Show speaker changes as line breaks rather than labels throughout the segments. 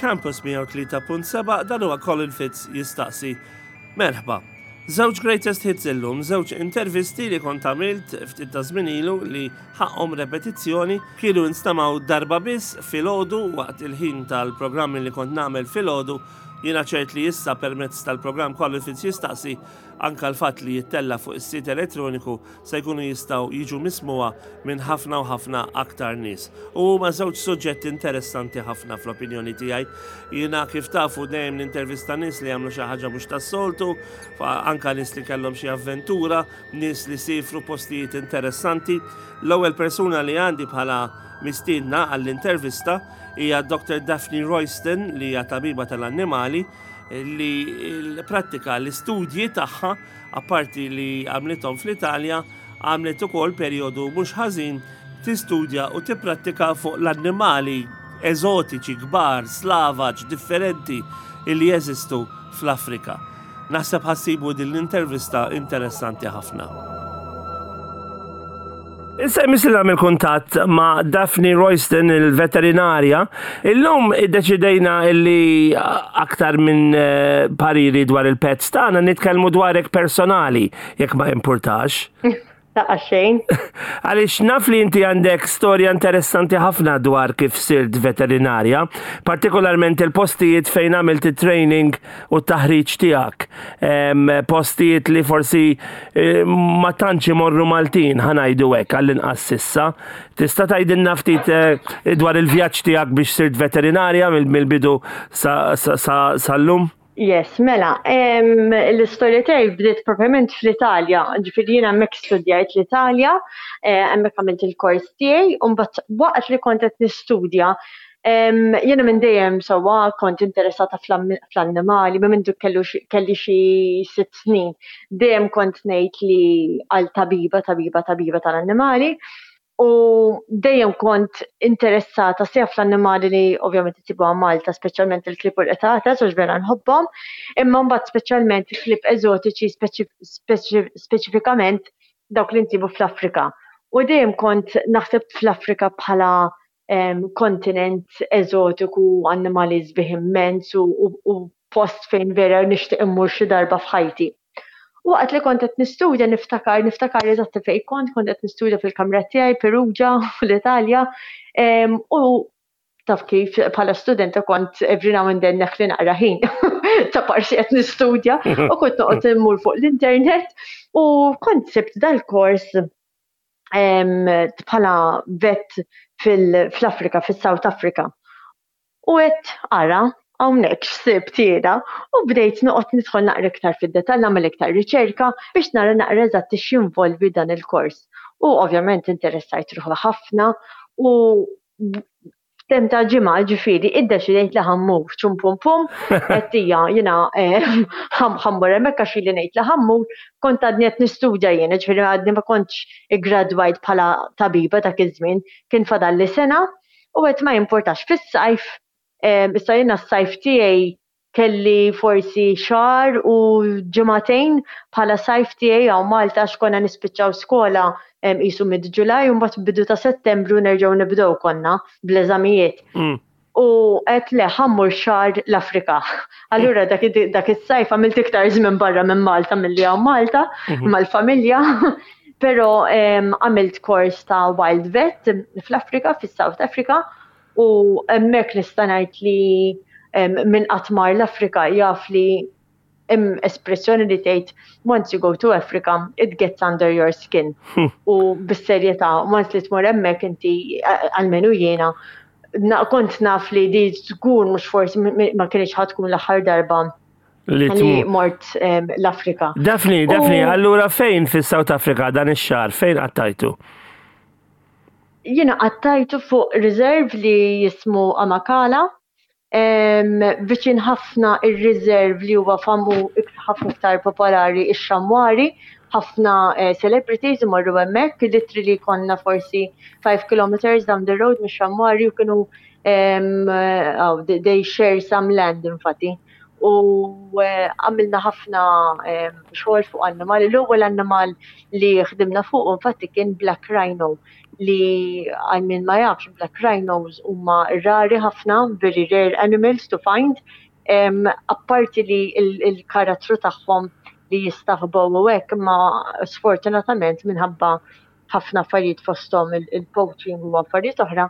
Campus 103.7 dan huwa Colin Fitz jistaqsi. Merħba. Żewġ greatest hits illum, żewġ intervisti li kont għamilt ftit ta' żmien ilu li ħaqhom repetizzjoni, kienu instemgħu darba biss filgħodu waqt il-ħin tal-programmi li kont nagħmel filgħodu. Jiena ċert li issa permezz tal-programm Colin Fitz jistaqsi anka l-fatt li jittella' fuq is-sit elettroniku se jkunu jistgħu jiġu mismugħa minn ħafna u ħafna aktar nies. U huma żewġ suġġetti interessanti ħafna fl-opinjoni tiegħi. Jiena kif tafu dejjem nintervista nies li jagħmlu xi ħaġa mhux tas-soltu, anka nies li kellhom xi avventura, nies li sifru postijiet interessanti. L-ewwel persuna li għandi bħala mistiedna għall-intervista hija Dr. Daphne Royston li hija tabiba tal-annimali li l-prattika l-istudji tagħha Apparti li għamlithom fl-Italja, għamlet ukoll perjodu mhux ħażin tistudja u tipprattika fuq l-annimali eżotiċi kbar, slavaġ, differenti illi jeżistu fl-Afrika. Naħseb ħa ssibu din l-intervista interessanti ħafna. Issa jmiss li nagħmel kuntatt ma' Daphne Royston, il-veterinarja. Illum iddeċidejna illi aktar minn eh, pariri dwar il-pets tagħna nitkellmu dwarek personali, jekk ma jimpurtax.
Taqa xejn.
Għaliex naf li inti għandek storja interessanti ħafna dwar kif sirt veterinarja, partikolarment il-postijiet fejn għamilt it-training u t-taħriġ tiegħek. Postijiet li forsi eh, ma tantx imorru Maltin ħanajdu hekk għall-inqas sissa. Tista' tgħidilna ftit eh, dwar il-vjaġġ tiegħek biex sirt veterinarja mill-bidu sal-lum?
Yes, mela, l-istorja tiegħi bdiet proprjament fl-Italja, ġifieri jiena hemmhekk studjajt l-Italja, eh, hemmhekk għamilt il-kors tiegħi, u mbagħad waqt li kont qed nistudja Jiena minn dejjem sewwa kont interessata fl-annimali, minn mindu kelli xi sitt snin. Dejjem kont ngħid li għal tabiba, tabiba, tabiba tal-annimali. U dejjem kont interessata sew fl-annimali li ovvjament isibuha Malta, speċjalment il-klieb u l-qtates, għax vera nħobbhom, imma mbagħad speċjalment il-klieb eżotiċi speċifikament dawk li nsibu fl-Afrika. U dejjem kont naħseb fl-Afrika bħala kontinent eżotiku, annimali sbieħ immens u, u, u post fejn vera nixtieq immur xi darba f'ħajti. Waqt li kont qed nistudja niftakar, niftakar eżatt fejn kont, kont qed nistudja fil-kamra tiegħi Perugia fl-Italja, u taf kif bħala studenta kont every now and then neħli naqra ħin ta' parsi qed nistudja u kont noqgħod immur fuq l-internet u kont sibt dal-kors bħala vet fl-Afrika, fis-South Africa. U għedt ara, hawnhekk x'sibt jiena u bdejt noqgħod nidħol naqra iktar fid-dettall, nagħmel iktar riċerka biex nara naqra eżatt x'jinvolvi dan il-kors. U ovvjament interessajt ruħi ħafna u f'temp ta' ġimgħa ġifieri iddeċidejt li ħammur ċum pum pum qed hija jiena eh, ħammur hemmhekk għax ili ngħid li ħammur kont għadni qed nistudja jien, ġifieri għadni ma kontx iggradwajt bħala tabiba dak iż-żmien, kien fadalli sena u qed ma jimpurtax fis-sajf eh, issa jiena s-sajf tiegħi kelli forsi xahar u ġimagħtejn bħala sajf tiegħi hawn Malta għax konna nispiċċaw skola qisu mid Ġulaj u mbagħad bidu ta' Settembru nerġgħu nibdew konna bl-eżamijiet. Mm. U qed le ħammur xahar l-Afrika. Allura dak, dak is-sajf għamilt iktar żmien barra minn Malta milli hawn Malta mhm. mal-familja. Però għamilt kors ta' Wild Vet fl-Afrika, fis-South Africa, U hemmhekk nista' ngħid li min qatt mar l-Afrika jaf li hemm espressjoni li tgħid once you go to Africa, it gets under your skin. Hmm. U bis-serjetà, once li tmur hemmhekk inti għalmenu jiena kont naf li di żgur mhux forsi ma kienx ħadd tkun l-aħħar darba li mort l-Afrika.
Daphne, Daphne, allura fejn fis-South Africa dan ix-xahar fejn qattajtu?
Jiena qattajtu fuq reserve li jismu Amakala, viċin ħafna ir-reserve li huwa famu ħafna iktar popolari ix-Xamwari, ħafna eh, celebrities imorru hemmhekk, literally konna forsi 5 kilometers down the road mix-Xamwari u kienu oh, they share some land infatti. U eh, għamilna ħafna eh, xogħol fuq annimali. L-ewwel annimal li ħdimna fuq infatti kien Black Rhino li għal min ma jafx Black Rhinos huma rari ħafna, very rare animals to find. Apparti li il-karattru tagħhom li jistaħbow u hekk, imma sfortunatament minħabba ħafna affarijiet fosthom il-poaching u affarijiet oħra,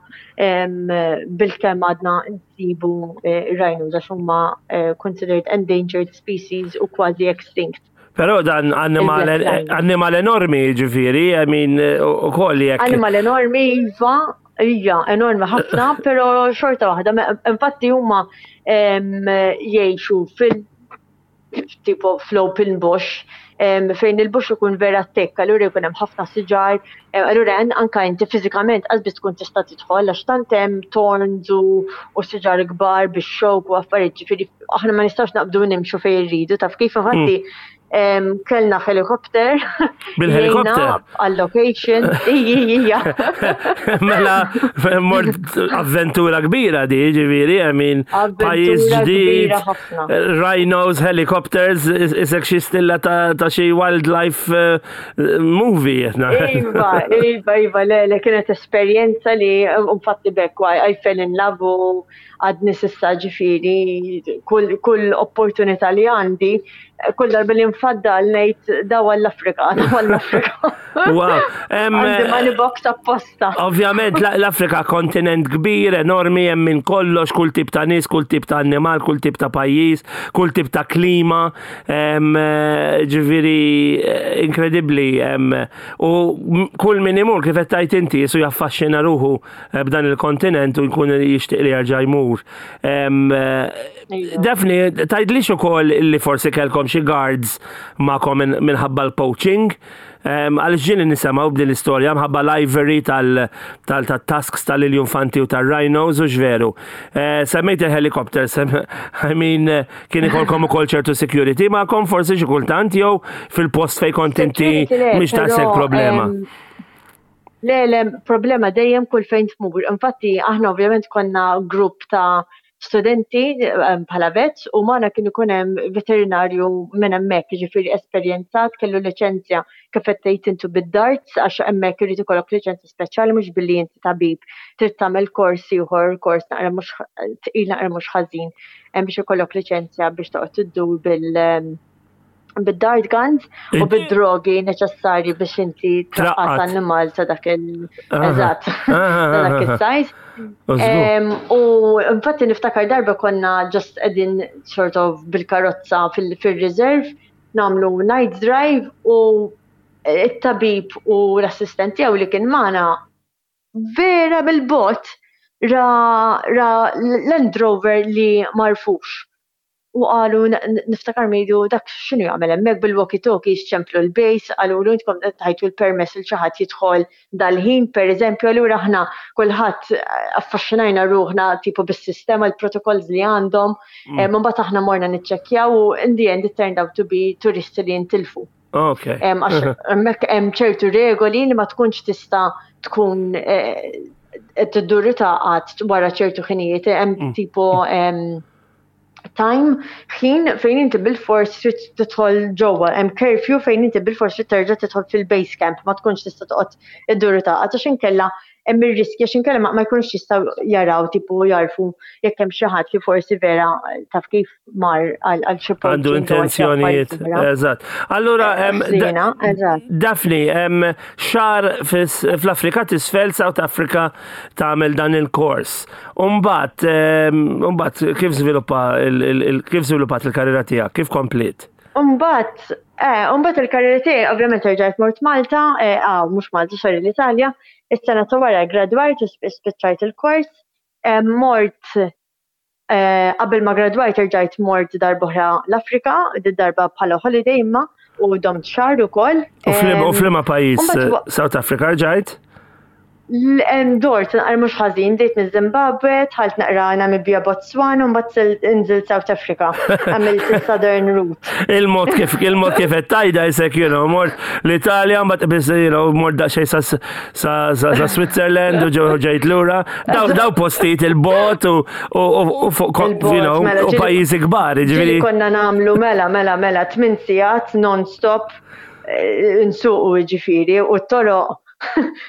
bilkemm għadna nsibu eh, rhinos għax huma eh, considered endangered species u kważi extinct.
Però dan annimal enormi ġifiri, I mean, u koll jek.
Annimal enormi, iva, ija, enormi ħafna, pero xorta waħda, infatti huma jgħixu fil- tipo fl-open bush, fejn il-bush ikun vera thick, allura jkun hemm ħafna siġar, allura anka inti fiżikament qas biss tkun tista' tidħol għax tant hemm thorns u siġar kbar bix-xewk u affarijiet, ġifieri aħna ma nistgħux naqbdu nimxu fejn irridu, taf kif infatti kellna helikopter.
Bil-helikopter?
Għal-location. Ija, ija.
Mela, mort avventura kbira di, ġifieri, I mean, pajjiż ġdid. Rhinos, helicopters, isek xi stilla ta' xi wildlife eh, movie.
Iva, iva, iva, le, le kienet esperjenza li infatti bekk, I fell in love u għadni sissa ġifiri, kull, kull opportunità li għandi, kull darba li nfaddal ngħid daw għall-Afrika, daw għall-Afrika.
Wow.
Għandi money box apposta.
Ovvjament l-Afrika kontinent kbir, enormi, hemm minn kollox, kull tip ta' nies, kull tip ta' annimal, kull tip ta' pajjiż, kull tip ta' klima, eh, ġifieri eh, inkredibbli. U kull min imur kif qed tgħid inti jisu jaffaxxina ruħu eh, b'dan il-kontinent u jkun jixtieq li jerġa' jmur. Daphne, tgħidlix ukoll li forsi kellkom xi guards magħkom minħabba l-poaching. Għaliex ġieli nisemgħu b'din l-istorja mħabba l-ivory tal-tasks tal-iljunfanti u tal-rhinos u x'veru. Eh, semmejt il-helicopter, I mean, kien ikolkom ukoll ċertu security magħkom forsi xi kultant jew fil-post fejn kont inti mhix taqsek problema.
Le, le, problema dejjem kull fejn tmur. Infatti, aħna ovvjament konna grupp ta' studenti ehm, bħala vets u magħna kien ikun hemm veterinarju minn hemmhekk, jiġifieri esperjenzat, kellu liċenzja kif qed tgħid intu bid-darts għax hemmhekk irid ikollok liċenzja speċjali mhux billi inti tabib trid tagħmel kors ieħor, kors naqra mhux tqil naqra mhux ħażin biex ikollok liċenzja biex toqgħod iddur bil ehm, bid-dart guns u bid-drogi neċessarji biex inti traqqat annimal ta' dak il- eżatt ta' dak il-size. U infatti niftakar darba konna just qegħdin sort of bil-karozza fil-reserve nagħmlu night drive u it-tabib u l-assistent tiegħu li kien magħna vera bil-bot ra, ra Land Rover li marfux. U qalu niftakar ngħidu dak x'inhu jagħmel hemmhekk bil-walkie talkies ċemplu l-base qalulu intkom tajtu l-permess lil xi ħadd jidħol dal-ħin pereżempju allura aħna kulħadd affaxxinajna ruħna tipo bis-sistema l-protokolls li għandhom mm. eh, mbagħad aħna morna niċċekkjaw u in the end it turned out to be turisti li jintilfu.
Ok.
Għax hemmhekk hemm ċertu regoli li ma tkunx tista' tkun eh, tiddur taqgħod wara ċertu ħinijiet hemm mm. tipo time ħin fejn inti bil-fors trid tidħol ġewwa, hemm curfew fejn inti bil-fors trid terġa' tidħol fil-base camp, ma tkunx tista' toqgħod iddur taqgħod għax inkella hemm ir-riskju għax inkella ma jkunux jistgħu jaraw tipo jarfu jekk hemm xi ħadd li forsi vera taf kif mar għal xi
Għandu intenzjonijiet. Eżatt. Allura
eh,
Daphne, xahar fl-Afrika t'isfel South Africa tagħmel dan il-kors. Umbat, umbat kif żviluppa kif żviluppat il-karriera tiegħek, kif kompliet?
Umbat, eh, umbat il-karriera tiegħi ovvjament erġajt mort Malta, eh, ah, mhux Malta, sorry l-Italja, is-sena ta' wara gradwajt u spiċċajt il-kors, mort eh, qabel ma gradwajt erġajt mort darb'oħra l-Afrika, darba bħala holiday imma u domt xahar ukoll.
U flima pajjiż South Africa rġajt?
Dort naqra mhux ħażin, bdejt miż-Zimbabwe, dħalt naqra Namibia, Botswana, u mbagħad inżilt South Africa. Għamilt is-Southern Route.
Il-mod kif il-mod kif qed tgħidha isek, you know, mort l-Italja, mbagħad biss, you know, mort daqsxejn sa sa sa Switzerland u ġew ġejt lura. Daw daw postijiet il-bot u u fuq you know, mela, u pajjiżi kbar,
jiġifieri. Konna nagħmlu mela mela mela tmien sigħat non-stop eh, nsuqu jiġifieri u t-toroq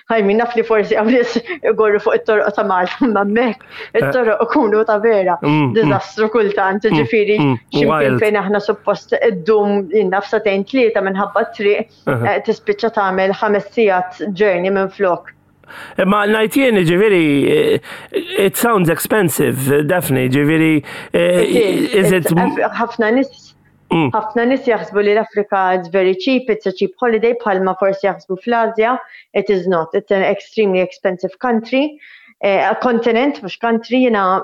I mean, naf li forsi għaw nis igorru fuq it-toroq ta' Malta, ma mek, eh. it-toroq ikunu ta' vera, mm, mm. dizastru kultant, mm, ġifiri, ximkien fejn aħna suppost id-dum jinnaf satejn tlieta minħabba triq, eh, tispiċċa tagħmel ħames sigħat journey minn flok.
Imma ngħid jien ġifieri eh, it sounds expensive, Daphne, ġifieri
is it ħafna nies Mm. Ħafna nies jaħsbu li l-Afrika it's very cheap, it's a cheap holiday bħalma forsi jaħsbu fl-Asja, it is not. It's an extremely expensive country. Eh, continent, mhux country, jiena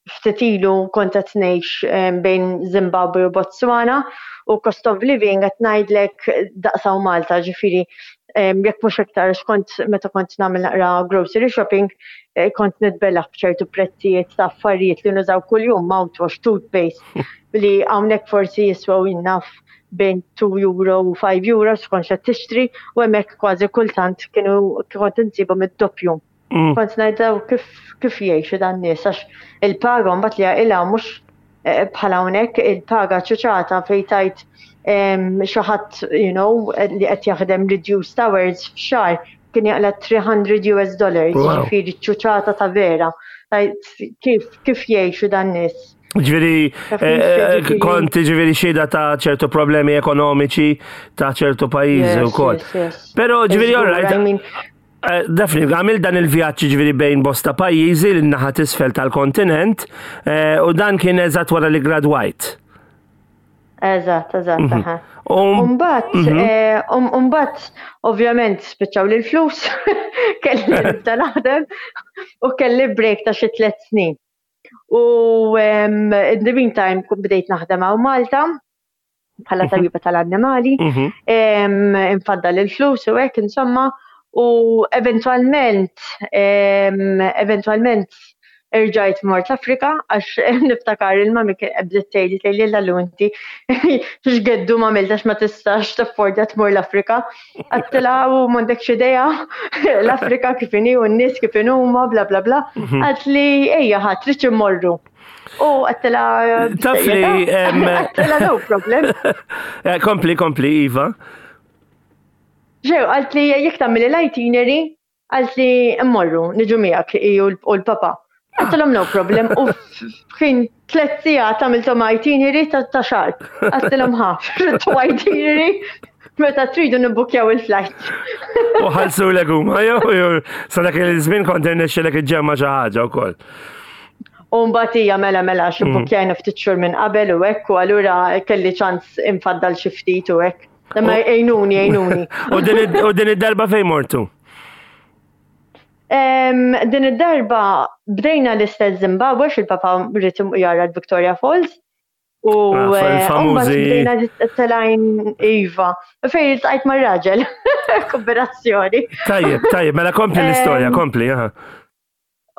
ftit ilu kont qed ngħix bejn Zimbabwe u Botswana u cost of living qed ngħidlek daqsaw Malta, ġifieri jekk mhux iktar kont meta kont nagħmel naqra grocery shopping eh, kont nitbellaħ b'ċertu prezzijiet ta' affarijiet li nużaw kuljum mouthwash, toothpaste, li hawnhekk forsi jiswew jinnaf bejn 2 euro u 5 euro skont x'qed tixtri u hemmhekk kważi kultant kienu kont insibhom id-doppju. Mm. Kont ngħidha kif kif jgħixu dan nies għax il-paga mbagħad li jaqilgħu mhux eh, bħala hawnhekk il-paga ċuċata fejn tajt xi ħadd you know li qed jaħdem reduced hours f'xahar kien jaqla 300 US dollars, ġifieri ċuċata ta' vera. Kif kif jgħixu dan nies?
Ġviri, eh, eh, kont ġviri xida ta' ċertu problemi ekonomiċi ta' ċertu pajizi u kol. Pero ġviri, all right. Eh, Daphne, għamil dan il-vjaġġ ġviri bejn bosta pajjiżi l naħa tisfel tal-kontinent u dan kien eżatt wara li gradwajt.
Eżatt, eżatt, mhm. aha. Um, Umbat, mhm. eh, um, umbat, ovvjament, spiċċaw li l-flus, kelli nibda naħdem u kelli break ta' xi tliet snin. U in the meantime bdejt naħdem hawn Malta bħala mhm. tabiba tal-annimali, mhm. infaddal il-flus u hekk insomma, u eventwalment eventwalment irġajt mort l-Afrika għax niftakar il-mami bdiet tgħidli tgħidli l inti x'geddu ma għamiltax ma tistax taffordja tmur l-Afrika. Għedtilha u m'għandekx idea l-Afrika kif inhi u n-nies kif huma bla bla bla. Mhm. Għedtli ejja ħadd tridx immorru. U għedtilha
Taf li
għedtilha no problem.
Eh, kompli, kompli, Iva.
Ġew, għalt li jekk tagħmel l-itinerary Qaltli mmorru, niġu miegħek hi u l-papa. Għedtilhom no problem u f'ħin tlet sigħat għamilthom itinerary ta' xahar. Għedtilhom ħa, tridtu itinerary meta tridu nibbukjaw il-flight.
U ħallsulek huma jew jew sa dak iż-żmien kont irnexxilek iġġemma' xi ħaġa wkoll.
U mbagħad hija mela mela xi bbukkjajna ftit xhur minn qabel u hekk u allura kelli ċans infaddal xi ftit u hekk. Imma jgħinuni, jgħinuni.
U din id-darba fejn mortu?
Din id-darba bdejna l-istess Zimbabwe, xil-papa rrid jara l-Victoria Falls. U ah, eh,
famużi.
Bdejna telajn Iva. Fejn iltqajt mar-raġel. Kombinazzjoni.
Tajjeb, tajjeb, mela kompli l-istorja, kompli, aha.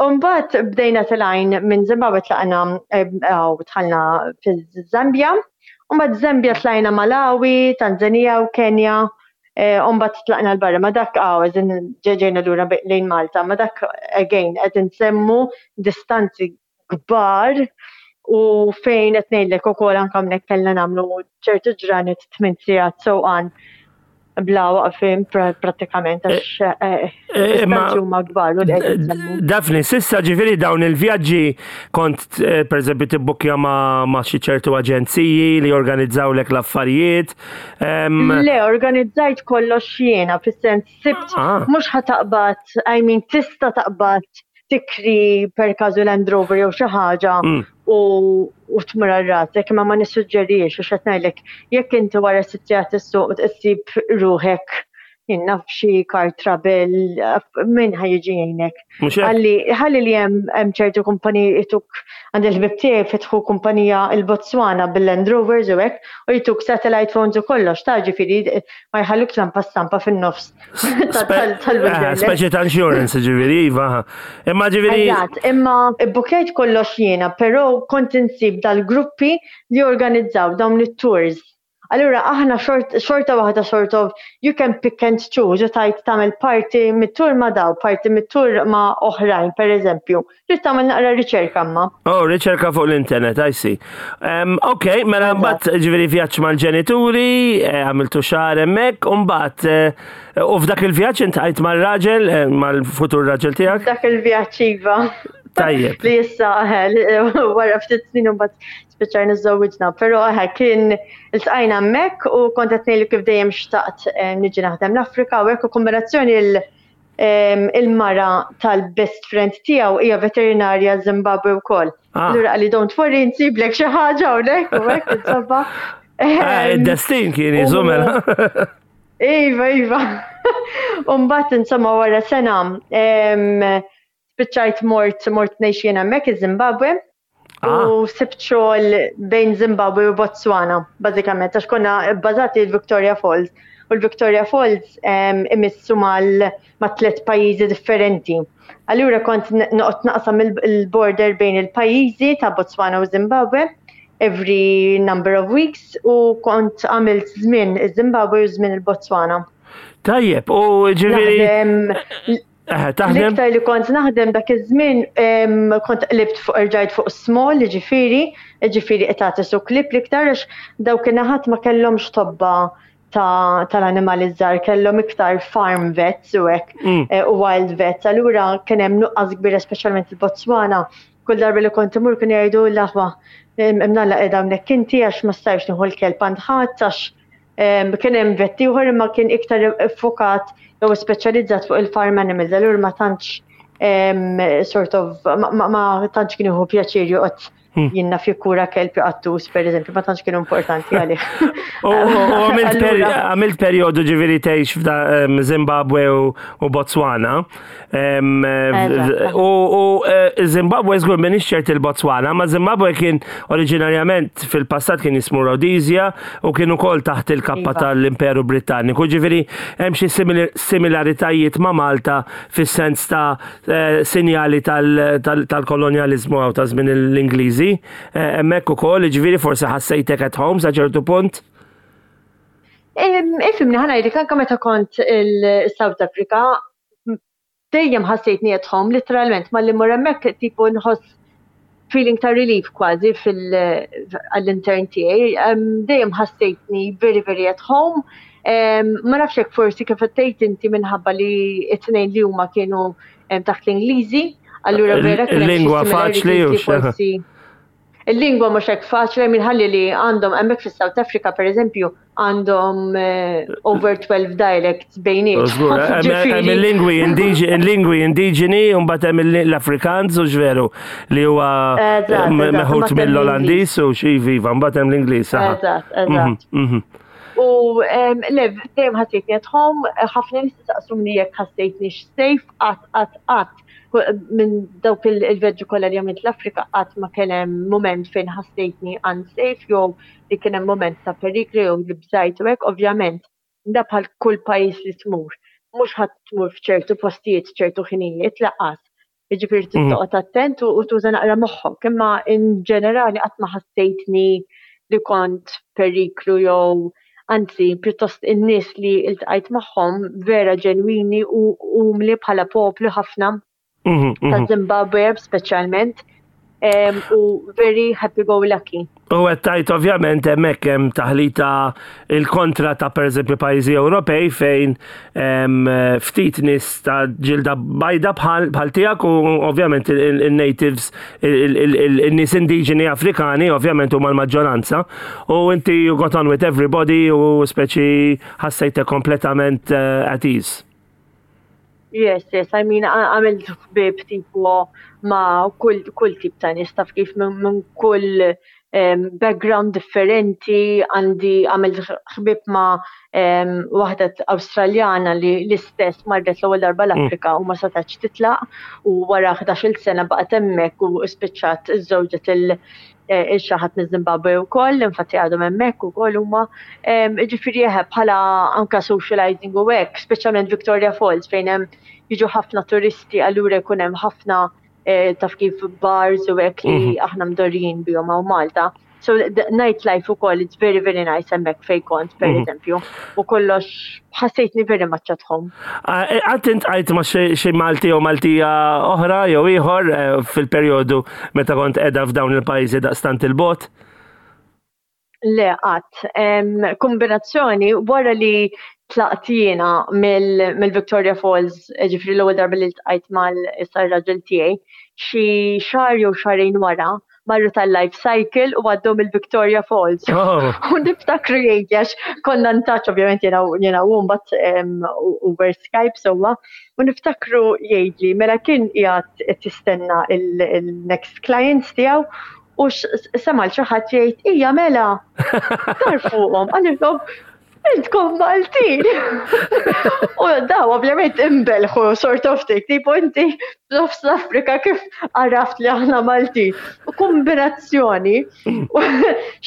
Umbat bdejna telajn minn Zimbabwe tlaqna u dħalna fiż-Zambja. Umbat Zambja tlajna Malawi, Tanzania u Kenja. Umbat tlaqna l-barra. Ma dak għaw, eżin ġeġejna lura lejn Malta. Ma dak, again, qed insemmu distanzi kbar u fejn qed ngħidlek ukoll anke hawnhekk kellna nagħmlu ċertu ġranet tmien sigħat sewqan bla waqfien prattikament għax eh, eh, eh, distanzi huma kbar u
Daphne, sissa ġifieri dawn il-vjaġġi kont pereżempju tibbukkja ma' xi ċertu aġenziji li jorganizzawlek l-affarijiet.
Le, organizzajt kollox jiena fis-sens sibt ah. mhux ħataqbad, I mean tista' taqbad tikri per każu Land Rover jew xi ħaġa mm. u u tmur għal rasek, imma ma nissuġġerix għax qed ngħidlek jekk inti wara sitt sigħat issuq issib ruħek. Jien naf xi car trouble, min ħa jiġi jgħinek. Ħalli ħalli li hemm ċertu kumpaniji jtuk għand il-ħbib tiegħi fetħu kumpanija il-Botswana bil-Land Rovers u hekk u jtuk satellite phones u kollox ta' ġifieri ma jħallukx lampa stampa fin-nofs
tal-wilderness. Speċi ta' insurance ġifieri iva. Imma ġifieri.
Eżatt, imma ibbukjajt kollox jiena, però kont insib dal-gruppi li jorganizzaw dawn it-tours. Allura aħna xorta waħda sort of you can pick and choose u tajt tagħmel parti mit-tur ma' daw, parti mit-tur ma' oħrajn, per eżempju. Trid tagħmel naqra riċerka imma.
Oh, riċerka fuq l-internet, I see. Um, ok, mela mbagħad ġifieri vjaġġ mal-ġenituri, eh, għamiltu xahar hemmhekk, u mbagħad eh, u f'dak il-vjaġġ intqajt mal-raġel, eh, mal-futur raġel tiegħek?
Dak il-vjaġġ iva.
Tajjeb.
Li issa wara ftit snin mbagħad spiċċajna żżewwiġna, però eħe kien iltqajna hemmhekk u kont qed ngħidlu kif dejjem xtaqt eh, niġi naħdem l-Afrika u hekk u kombinazzjoni il-mara tal-best friend tiegħu hija veterinarja Zimbabwe wkoll. Ah. Allura qalli don't worry nsiblek xi ħaġa hawnhekk u hekk insomma.
Ah, id-destin kien jiżu mela.
Iva, iva. Umbat insomma wara sena spiċċajt mort mort ngħix jien hemmhekk iż-Zimbabwe. Ah. U sibt xogħol bejn Zimbabwe u Botswana, bażikament, għax konna bbażati l-Victoria Falls. U l-Victoria Falls imissu mal ma' tliet pajjiżi differenti. Allura kont noqgħod naqsam il-border bejn il-pajjiżi ta' Botswana u Zimbabwe every number of weeks u kont għamilt żmien iż-Zimbabwe u żmien il-Botswana.
Tajjeb, u ġifieri.
Eh, taħdem? L-iktar li kont naħdem dak iż-żmien kont qlibt fuq irġajt fuq small, ġifieri, ġifieri qed su klip l-iktar għax dawk in-naħat ma kellhomx tobba tal-animali żgħar, kellhom iktar farm vets u hekk mm. eh, u wild vets. Allura kien hemm nuqqas kbira speċjalment il-Botswana. Kull darba li kont imur kien jgħidu l-aħwa imnalla qiegħda hawnhekk inti għax ma stajx nieħu l-kelb għand ħadd għax Kien hemm vet ieħor imma kien iktar iffokat jew speċjalizzat fuq il-farm animals, allura ma tantx sort of ma tantx kien jieħu pjaċir joqgħod hmm. jinnna fi kura kelb qattus, per eżempju, ma tantx kienu importanti għalih.
U għamilt periodu ġifieri tgħix f'da Zimbabwe u Botswana. U eh, Zimbabwe żgur m'iniex ċert il-Botswana, ma Zimbabwe kien oriġinarjament fil-passat kien jismu Rhodesia u kien ukoll taħt il-kappa iva. tal-Imperu Britanniku. Ġifieri hemm xi similaritajiet ma' Malta fis-sens ta' eh, sinjali tal-kolonjaliżmu għaw ta' żmien l-Ingliżi. Eh, hemmhekk ukoll, ġifieri forsi ħassejtek at home sa ċertu punt.
Ifimni ħanajdlek anke meta kont il-South Africa dejjem ħassejtni at home, literalment, malli mmur hemmhekk tipo nħoss feeling ta' relief kważi fil-intern tiegħi. Dejjem ħassejtni very very at home. Ma nafx hekk forsi kif qed tgħid inti minħabba li t-tnejn li huma kienu taħt l-Ingliżi, allura vera
kien Lingwa faċli u
forsi. Il-lingwa mhux hekk faċli minħalli li għandhom hemmhekk fis-South Africa pereżempju għandhom eh, over 12 dialects bejniet.
Hemm il-lingwi indiġeni, indiġeni u mbagħad hemm l-Afrikaans u x'veru li huwa meħud mill-Olandiż u xi viva, mbagħad hemm l-Ingliż.
Eżatt, eżatt. Mhm, mhm. U le, dejjem ħassejtni at home, ħafna nies saqsuni jekk ħassejtni safe, qatt qatt qatt minn dawk il-vjaġġi kollha li għamilt l-Afrika qatt ma kien hemm mument fejn ħassejtni unsafe jew li kien hemm mument ta' periklu jew li bżajt u hekk, ovvjament da bħal kull pajjiż li tmur. Mhux ħadd tmur f'ċertu postijiet ċertu ħinijiet laqas. Jiġifieri trid mhm. toqgħod attent u tuża naqra moħħok, imma in ġenerali qatt ma ħassejtni li kont periklu jew anzi pjuttost in-nies li iltqajt magħhom vera ġenwini u umli bħala poplu ħafna mhm, mhm. ta' Zimbabwe speċjalment u very happy go lucky.
U qed tajt ovvjament hemmhekk hemm taħlita il-kontra ta' pereżempju pajjiżi Ewropej fejn ftit nies ta' ġilda bajda bħal tiegħek u ovvjament il-natives il-nies indiġeni Afrikani ovvjament huma l-maġġoranza u inti you got on with everybody u speċi ħassejtek kompletament eh, at ease.
Yes, yes, I mean, għamilt ħbieb tipo ma' kull, kull tip ta' nies taf kif minn kull background differenti, għandi għamilt ħbieb ma' waħda Awstraljana li l-istess marret l-ewwel darba mm. l-Afrika u ma setax titlaq u wara 11-il sena baqgħet hemmhekk u spiċċat iżżewġet il eh, xi ħadd miż-Zimbabwe wkoll, infatti għadhom hemmhekk ukoll huma. Ġifieri eħe bħala anka socializing u hekk, speċjalment Victoria Falls fejn hemm jiġu ħafna turisti allura jkun hemm ħafna Eh, taf kif bars u hekk li mhm. aħna mdorrijin bihom hawn Malta. So the nightlife ukoll it's very very nice hemmhekk fejn kont per mhm. eżempju. U kollox ħassejtni very much at home.
Ah, eh, għad int għajt ma xi Malti jew Maltija oħra jew ieħor eh, fil-perjodu meta kont qiegħda f'dawn il-pajjiżi daqstant il-bot?
Le, qatt. Kombinazzjoni, wara li tlaqt jiena mill-Victoria Falls, ġifri l-ewwel darba li ltqajt mal-issa raġel tiegħi, xi xahar jew xahrejn wara, marru tal-life cycle u għaddew mill-Victoria Falls. Oh. U niftakru jgħid għax konna ntaċ ovvjament jiena jiena u mbagħad over Skype sewwa. U niftakru jgħidli mela kien qiegħed qed jistenna il-next clients tiegħu U sema' l xi ħadd jgħid hija mela. Dar fuqhom qalilhom intkom Maltin. U daw ovvjament imbelħu sort of thing, tipo inti f'nofs l-Afrika kif għaraft li aħna Maltin. U kombinazzjoni,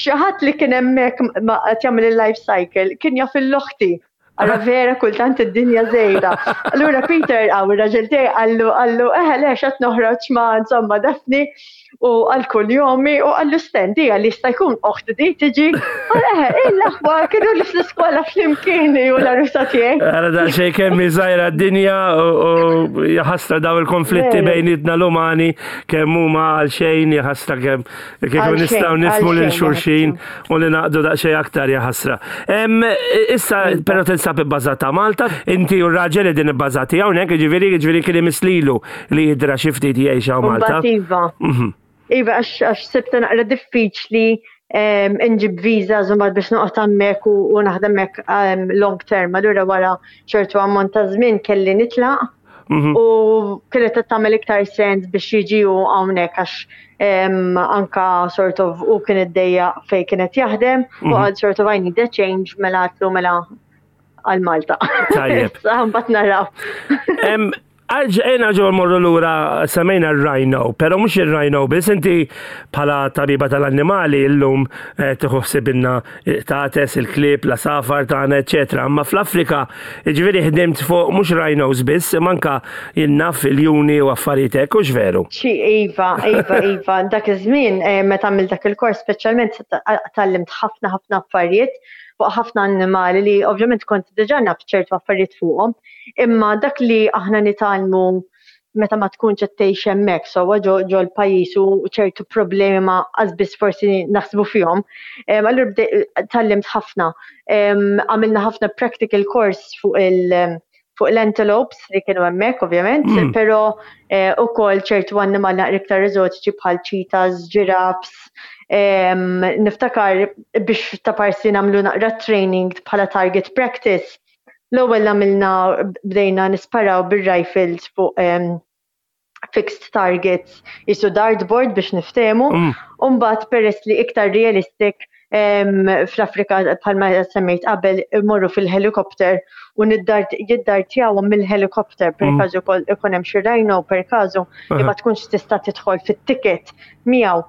xi ħadd li kien hemmhekk qed jagħmel il-life cycle kien jaf il-loħti. Ara vera kultant id-dinja żejda. Allura Peter għaw ir-raġel tiegħi qallu qallu eħe le x'qed noħroġ ma' insomma Daphne u għal kull jomi u qallu stendi għal jista' jkun oħti di tiġi. Qal eħe il-aħwa kienu li fl-iskola flimkien u l-arusa tiegħi.
Ara daqsxejn kemm hi żgħira d-dinja u jaħasra daw il-konflitti bejnietna l-umani kemm huma għal xejn jaħasra kemm kieku nistgħu nifhmu lil xulxin u li naqdu daqsxejn aktar jaħasra. Issa però tinsab ibbażata Malta, inti u r-raġel li din ibbażati hawnhekk, jiġifieri jiġifieri kien imislilu li jidra xi ftit jgħix hawn Malta.
Iva. Mhm. Iva għax sibta naqra diffiċli nġib viża żumad biex noqgħod hemmhekk u naħdem hekk long term. Allura wara ċertu ammont ta' żmien kelli nitlaq Mhm. U kienet qed tagħmel iktar sens biex jiġi hu hawnhekk għax anka sort of u kien iddejja fejn kienet jaħdem u mhm. għal sort of I need a change mela għatlu mela għal Malta.
Tajjeb.
Mbagħad naraw.
Ejna ġo morru lura semmejna r-rhino, pero mhux ir-rhino biss inti bħala tabiba tal-annimali illum eh, tieħu ħsibinna tates, il-klieb, l-asafar tagħna, eċetera. Imma fl-Afrika, jiġifieri ħdimt fuq mhux rhinos biss, imma anka jien naf iljuni u affarijiet hekk, hux veru?
Xi iva, iva, iva. Dak iż-żmien eh, meta għamilt dak il-kors speċjalment tgħallimt ħafna ħafna affarijiet fuq ħafna annimali li ovvjament kont diġà naf ċertu affarijiet fuqhom, imma dak li aħna nitgħallmu meta ma tkunx qed tgħix hemmhekk sewwa ġo l-pajjiż u ċertu problemi ma biss forsi naħsbu fihom. Allura tgħallimt ħafna. Għamilna ħafna practical course fuq il- fuq l-antelopes li kienu hemmhekk ovvjament, mm. però eh, ukoll ċertu annimali naqra iktar eżotiċi bħal cheetahs, giraffes. Niftakar biex ta' parsi nagħmlu naqra training bħala target practice L-ewwel għamilna bdejna nisparaw bir-rifles fuq fixed targets jisu dartboard biex niftehmu. Mm. Umbagħad peress li iktar realistic fl-Afrika bħalma semmejt qabel imorru fil-helikopter u jiddartjawhom mill-helikopter per mm. każu ikun hemm xi rhino per każu li ma tkunx tista' tidħol fit-ticket miegħu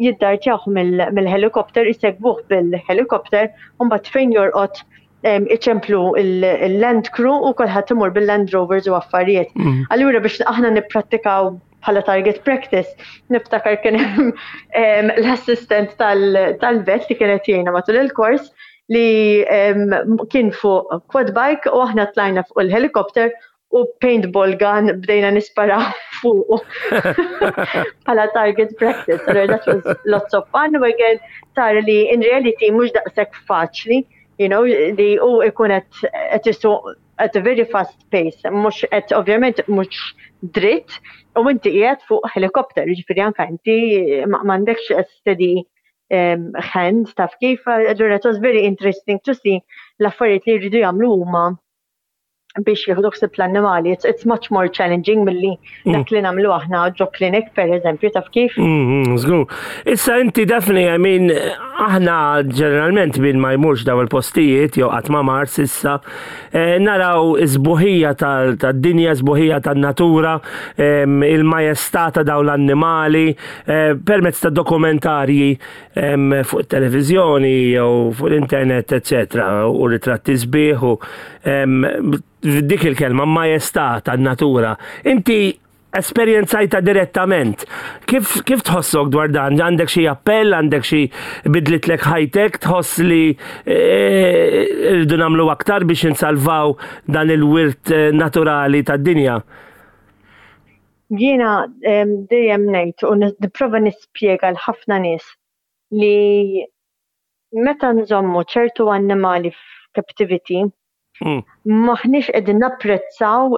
jiddartjawh mill-helikopter isegwuh bil-helikopter u mbagħad fejn jorqod iċemplu il-land crew u kulħadd imur bil-Land Rovers u affarijiet. Mm. Allura biex aħna nipprattikaw bħala target practice, niftakar kien l-assistent tal-vet li kienet jgħinna matul il-kors li kien fuq quad bike u aħna tlajna fuq il-helikopter u paintball gun bdejna nisparaw fuq bħala target practice. Allura that was lots of fun u again tara li in reality mhux daqshekk faċli, you know, li u ikun qed isuq at a very fast pace, mhux qed ovvjament mhux dritt u inti qiegħed fuq helikopter, jiġifieri anke inti m'għandekx steady hand taf kif, allura it was very interesting to see l-affarijiet li jridu jagħmlu huma. biex jieħdu ħsieb l-annimali. It's, it's much more challenging milli mm. dak li nagħmlu aħna ġo clinic per eżempju taf kif.
Mm, mm, żgur. Issa inti Daphne, I mean, aħna ġeneralment min ma jmurx daw il-postijiet jew qatt ma mar s'issa, eh, naraw is-sbuħija tad-dinja, sbuħija tan-natura, il-majestà ta' daw l-annimali, eh, permezz ta' dokumentarji fuq it-televiżjoni jew fuq l-internet, eċetera, u ritratti sbieħ u dik il-kelma majestà tan-natura. Inti esperjenzajta direttament. Kif, kif tħossok dwar dan? Għandek xi appell, għandek xi bidlitlek ħajtek, tħoss li eh, rridu nagħmlu aktar biex insalvaw dan il-wirt eh, naturali tad-dinja?
Jiena dejjem ngħid u nipprova nispjega l ħafna nies li meta nżommu ċertu annimali f'captivity hmm. maħniex qegħdin napprezzaw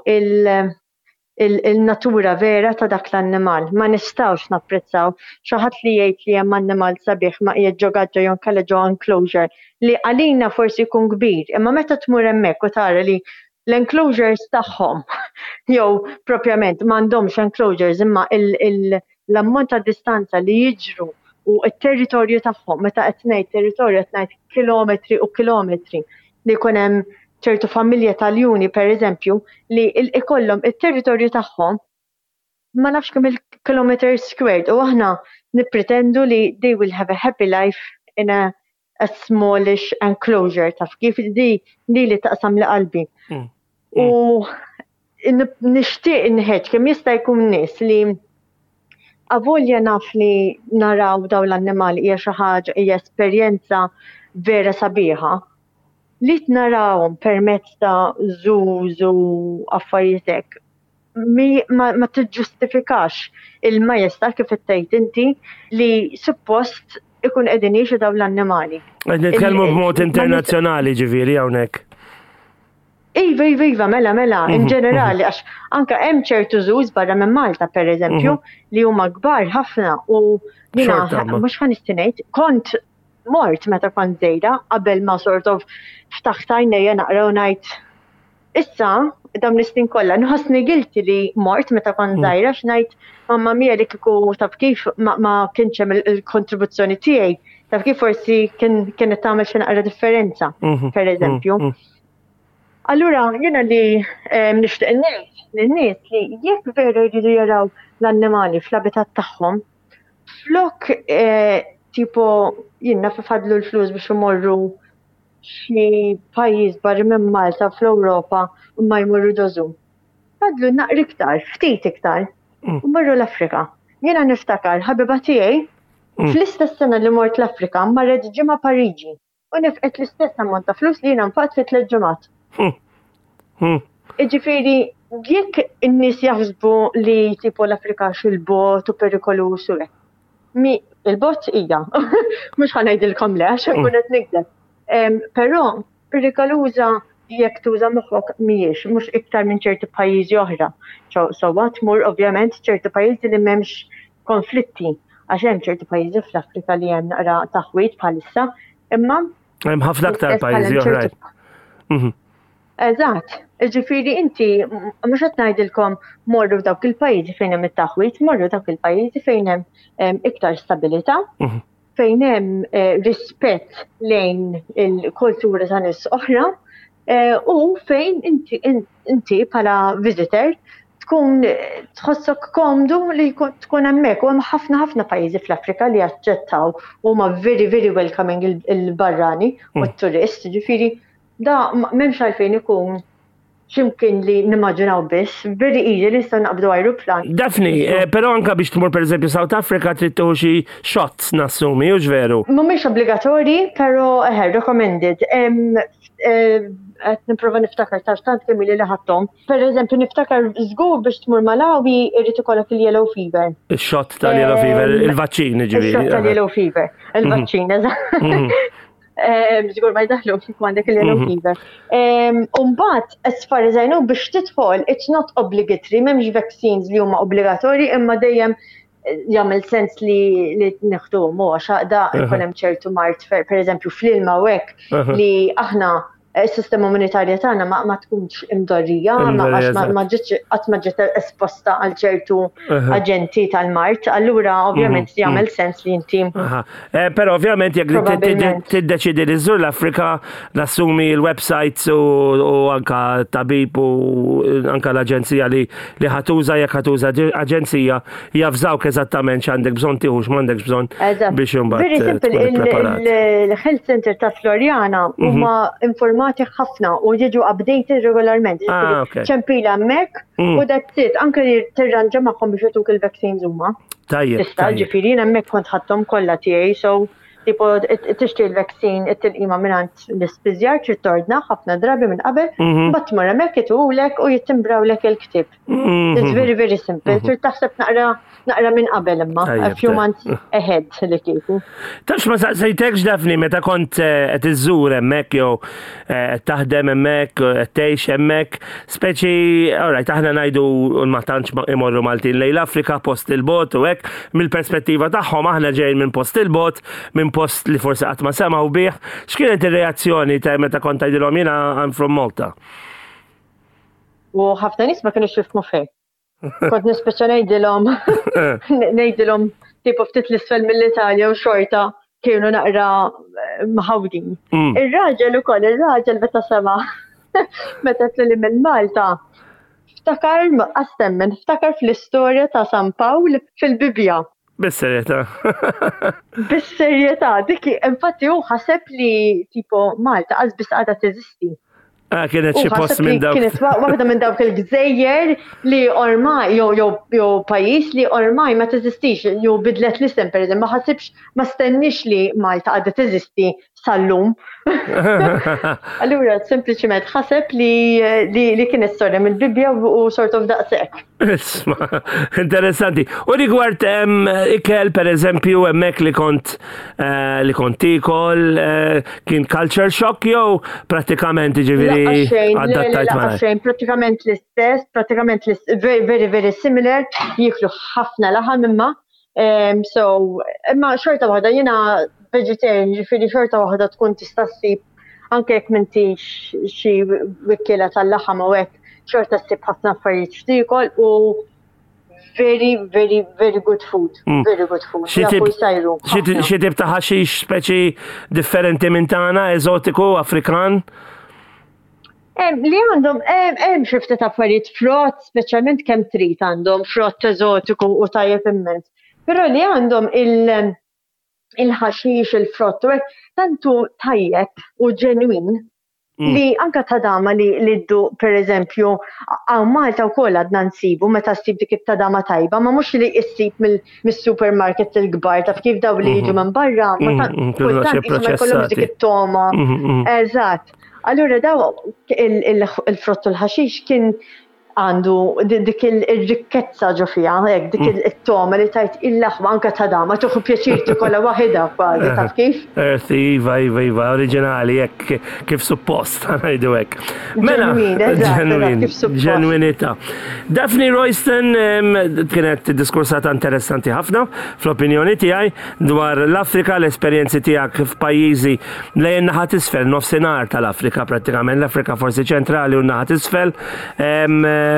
il-natura vera ta' dak l-annimal. Ma nistgħux napprezzaw xi ħadd li jgħid li hemm annimal sabiħ ma qiegħed ġo gaġġa jew inkella ġo enclosure li għalina forsi jkun kbir, imma meta tmur hemmhekk u tara li l-enclosures tagħhom jew propjament m'għandhomx enclosures imma l-ammont ta' distanza li jiġru u t-territorju tagħhom, meta qed ngħid territorju qed ngħid kilometri u kilometri li jkun hemm ċertu familja ta' ljuni pereżempju li ikollhom it-territorju tagħhom ma nafx kemm il-kilometers squared u aħna nippretendu li they will have a happy life in a a smallish enclosure taf kif di li li taqsam li qalbi. Mm. U mm. nixtieq inħeġġ kemm jista' jkun nies li avolja naf li naraw daw l-annimali hija xi ħaġa hija esperjenza vera sabiħa li narawhom permezz ta' zoos u affarijiet hekk mi, ma, ma tiġġustifikax il-majestà kif qed tgħid inti li suppost ikun qegħdin jgħixu dawn l-annimali.
Qed nitkellmu b'mod internazzjonali ġifieri hawnhekk.
Iva, iva, iva, mela, mela, in mhm, ġenerali, mhm. għax anka hemm ċertu żuż barra minn Malta, per eżempju, mhm. li huma kbar ħafna u jina mhux ħa ngħid, kont mort meta kont żejda qabel ma sort of ftaħt għajnejja naqra u ngħid Issa, dawn is-snin kollha, nħossni guilty li mort meta kont mm. żgħira x'ngħid mamma mia li kieku taf kif ma, ma kienx hemm il-kontribuzzjoni tiegħi, taf kif forsi kien kienet tagħmel xi naqra differenza, mhm. per eżempju. Mm, mm. Allura jiena li nixtieq ngħid lin-nies li jekk vera jridu jaraw l-annimali fl-abitat tagħhom, flok eh, tipo jien naf ifadlu l-flus biex imorru xi pajjiż barra minn Malta fl-Ewropa u ma jmorru ġo zoo. Fadlu naqra iktar, ftit iktar, mm. u marru l-Afrika. Jiena niftakar ħabiba tiegħi mm. fl-istess sena li mort l-Afrika marret ġimgħa Pariġi u nefqet l-istess ammont ta' flus li jiena nfaqt fi tliet ġimgħat. Mm. Iġifieri, jekk in-nies jaħsbu li tipo l-Afrika xil-bot u perikolus u hekk. Mi il-bot hija. Mhux ħa ngħidilkom le għax nkun qed nikdeb. Però perikoluża jekk tuża moħħok mhijiex, mhux iktar minn ċerti pajjiżi oħra. Sewwa tmur ovvjament ċerti pajjiżi li m'hemmx konflitti għax hemm ċerti pajjiżi fl-Afrika li hemm naqra taħwid bħalissa, imma
Hemm ħafna aktar pajjiżi oħra.
Mhm. Eżatt, jiġifieri inti mhux qed ngħidilkom morru f'dawk il-pajjiżi fejn hemm it-taħwid, morru dawk il-pajjiżi fejn hemm iktar stabilità, mhm. fejn hemm eh, rispett lejn il-kultura ta' nies oħra eh, u fejn inti inti bħala visitor tkun tħossok komdu li tkun hemmhekk u hemm ħafna ħafna pajjiżi fl-Afrika li jaċċettaw huma very very welcoming il-barrani u mm. t-turist, ġifieri Da m'hemmx għalfejn ikun x'imkien li nimmaġinaw biss, very easy li nistgħu naqbdu ajruplan.
Daphne, eh, però anka biex tmur pereżempju South Africa trid tieħu xi shots nassumi, hux veru?
Mhumiex obbligatorji, però eħe, recommended. Eh, qed nipprova niftakar tax tant kemm ili li ħadthom. Per eżempju, niftakar żgur biex tmur Malawi irid ikollok il-yellow fever.
Ix-shot tal-yellow fever, il-vaċċin
ġifieri. Ix-shot tal-yellow fever, il-vaċċin, eżatt. Mhm. Żgur ma jdaħlu kif għandek il-yellow mhm. fever. Umbagħad, as far as I know, biex tidħol, it's not obligatory, m'hemmx vaccines li huma obbligatorji, imma dejjem eh, jagħmel sens li li neħduhom u għax għaqda jkun hemm ċertu mart per eżempju fl-ilma u hekk li aħna. s-sistema immunitarja tagħna ma tkunx imdorrija, għax ma ġietx qatt ma ġiet esposta għal ċertu aġenti tal-mard, allura ovvjament mhm. jagħmel sens li inti.
Eh, però ovvjament jekk tiddeċidi li żżur l-Afrika, nassumi l-websites u anka tabib u anka l-aġenzija li li ħatuża jekk ħatuża aġenzija jafżawk eżattament x'għandek bżonn tieħu x'm'għandekx bżonn biex imbagħad.
Very eh, simple, il-Health Center ta' Floriana mhm. huma informati ħafna u jiġu updated regolarment. Ah, Ċempila hemmhekk mm. u that's it, anke li tirranġa magħhom biex jtuk il-vaccines huma.
Tajjeb.
Tista' ġifieri jien hemmhekk kont ħadthom kollha tiegħi, so tipo tixtri l-vaccine it-tilqima mingħand l-ispiżjar trid tordna ħafna drabi minn qabel, mhm. mbagħad tmur hemmhekk itulek u jittimbrawlek il-ktieb. Mhm. It's very, very simple. Mhm. Trid taħseb naqra naqra minn qabel imma, a few months ahead li kieku.
Tafx ma saqsejtekx Daphne meta kont eh, qed iżżur hemmhekk jew eh, qed taħdem hemmhekk, eh, qed tgħix hemmhekk, speċi, alright, aħna ngħidu ma tantx imorru Maltin lejn l-Afrika post il-bot u hekk, mill-perspettiva tagħhom aħna ġejjin minn post il-bot, minn post li forsi qatt ma semgħu bih. X'kienet ir-reazzjoni ta' meta kont tgħidilhom jiena I'm from Malta?
U ħafna nies ma kienux jifhmu fejn. Kont nispiċċa ngħidilhom ngħidilhom tipo ftit l-isfel mill-Italja u xorta kienu naqra eh, mħawdin. Mm. Ir-raġel ukoll, ir-raġel meta sema meta tlili minn Malta, ftakar qastemmen, ftakar fl-istorja ta' San Pawl fil-Bibbja.
Bis-serjetà.
Bis-serjetà, dik infatti hu ħaseb li tipo Malta qas biss għadha teżisti.
Ah, kienet xi post minn dawk.
Kienet waħda minn dawk il-gżejjer li ormai jew jew jew pajjiż li ormai ma teżistix jew bidlet l-isem pereżempju, ma ħasibx ma stennix li Malta għadha teżisti sal-lum. Allura sempliċiment ħaseb li, li, li kienet storja mill-Bibbja u sort of daqshekk.
Isma, interessanti. U rigward ikel per eżempju hemmhekk li kont eh, li kont tikol eh, kien culture shock jew prattikament
ġifieri adattajt ma' xejn, prattikament l-istess, prattikament l-istess, very, very, very similar, jiklu ħafna laħam imma Um, so, imma xorta waħda jiena vegetarian, ġifieri xorta waħda tkun tista' ssib anke jekk m'intix xi wikkiela tal-laħam u hekk, xorta ssib ħafna affarijiet x'tiekol u very, very, very good food. Mm. Very good food.
Xi tip ta' ħaxix speċi differenti minn tagħna, eżotiku, Afrikan?
Li għandhom hemm xi ftit affarijiet frott, speċjalment kemm trid għandhom frott eżotiku u tajjeb immens. Però li għandhom il-ħaxix, il-frott u hekk tantu tajjeb u ġenwin mm. li anka tadama li li ddu per eżempju hawn Malta wkoll għadna nsibu meta ssib dik it-tadama tajba, ma mhux li issib mis-supermarkets il-kbar taf kif daw li jiġu mhm. minn barra, ma mhm, mhm, kultant ma jkollhomx dik it-toma. Eżatt. Allura daw il-frott u l-ħaxix kien għandu dik il-rikkezza ġo fiha, hekk dik mm. it-toma li tajt il-laħma anka ta' dama, tuħu pjaċir tikolla waħida kważi, taf kif?
Earthy, iva, iva, iva, oriġinali, hekk kif suppost, ngħidu hekk.
Mela,
ġenwin, ġenwinità. Daphne Royston kienet diskursata interessanti ħafna fl-opinjoni tiegħi dwar l-Afrika, l-esperjenzi tiegħek f'pajjiżi Lejn in-naħa t'isfel, nofsinhar tal-Afrika prattikament, l-Afrika forsi ċentrali u n-naħa t'isfel,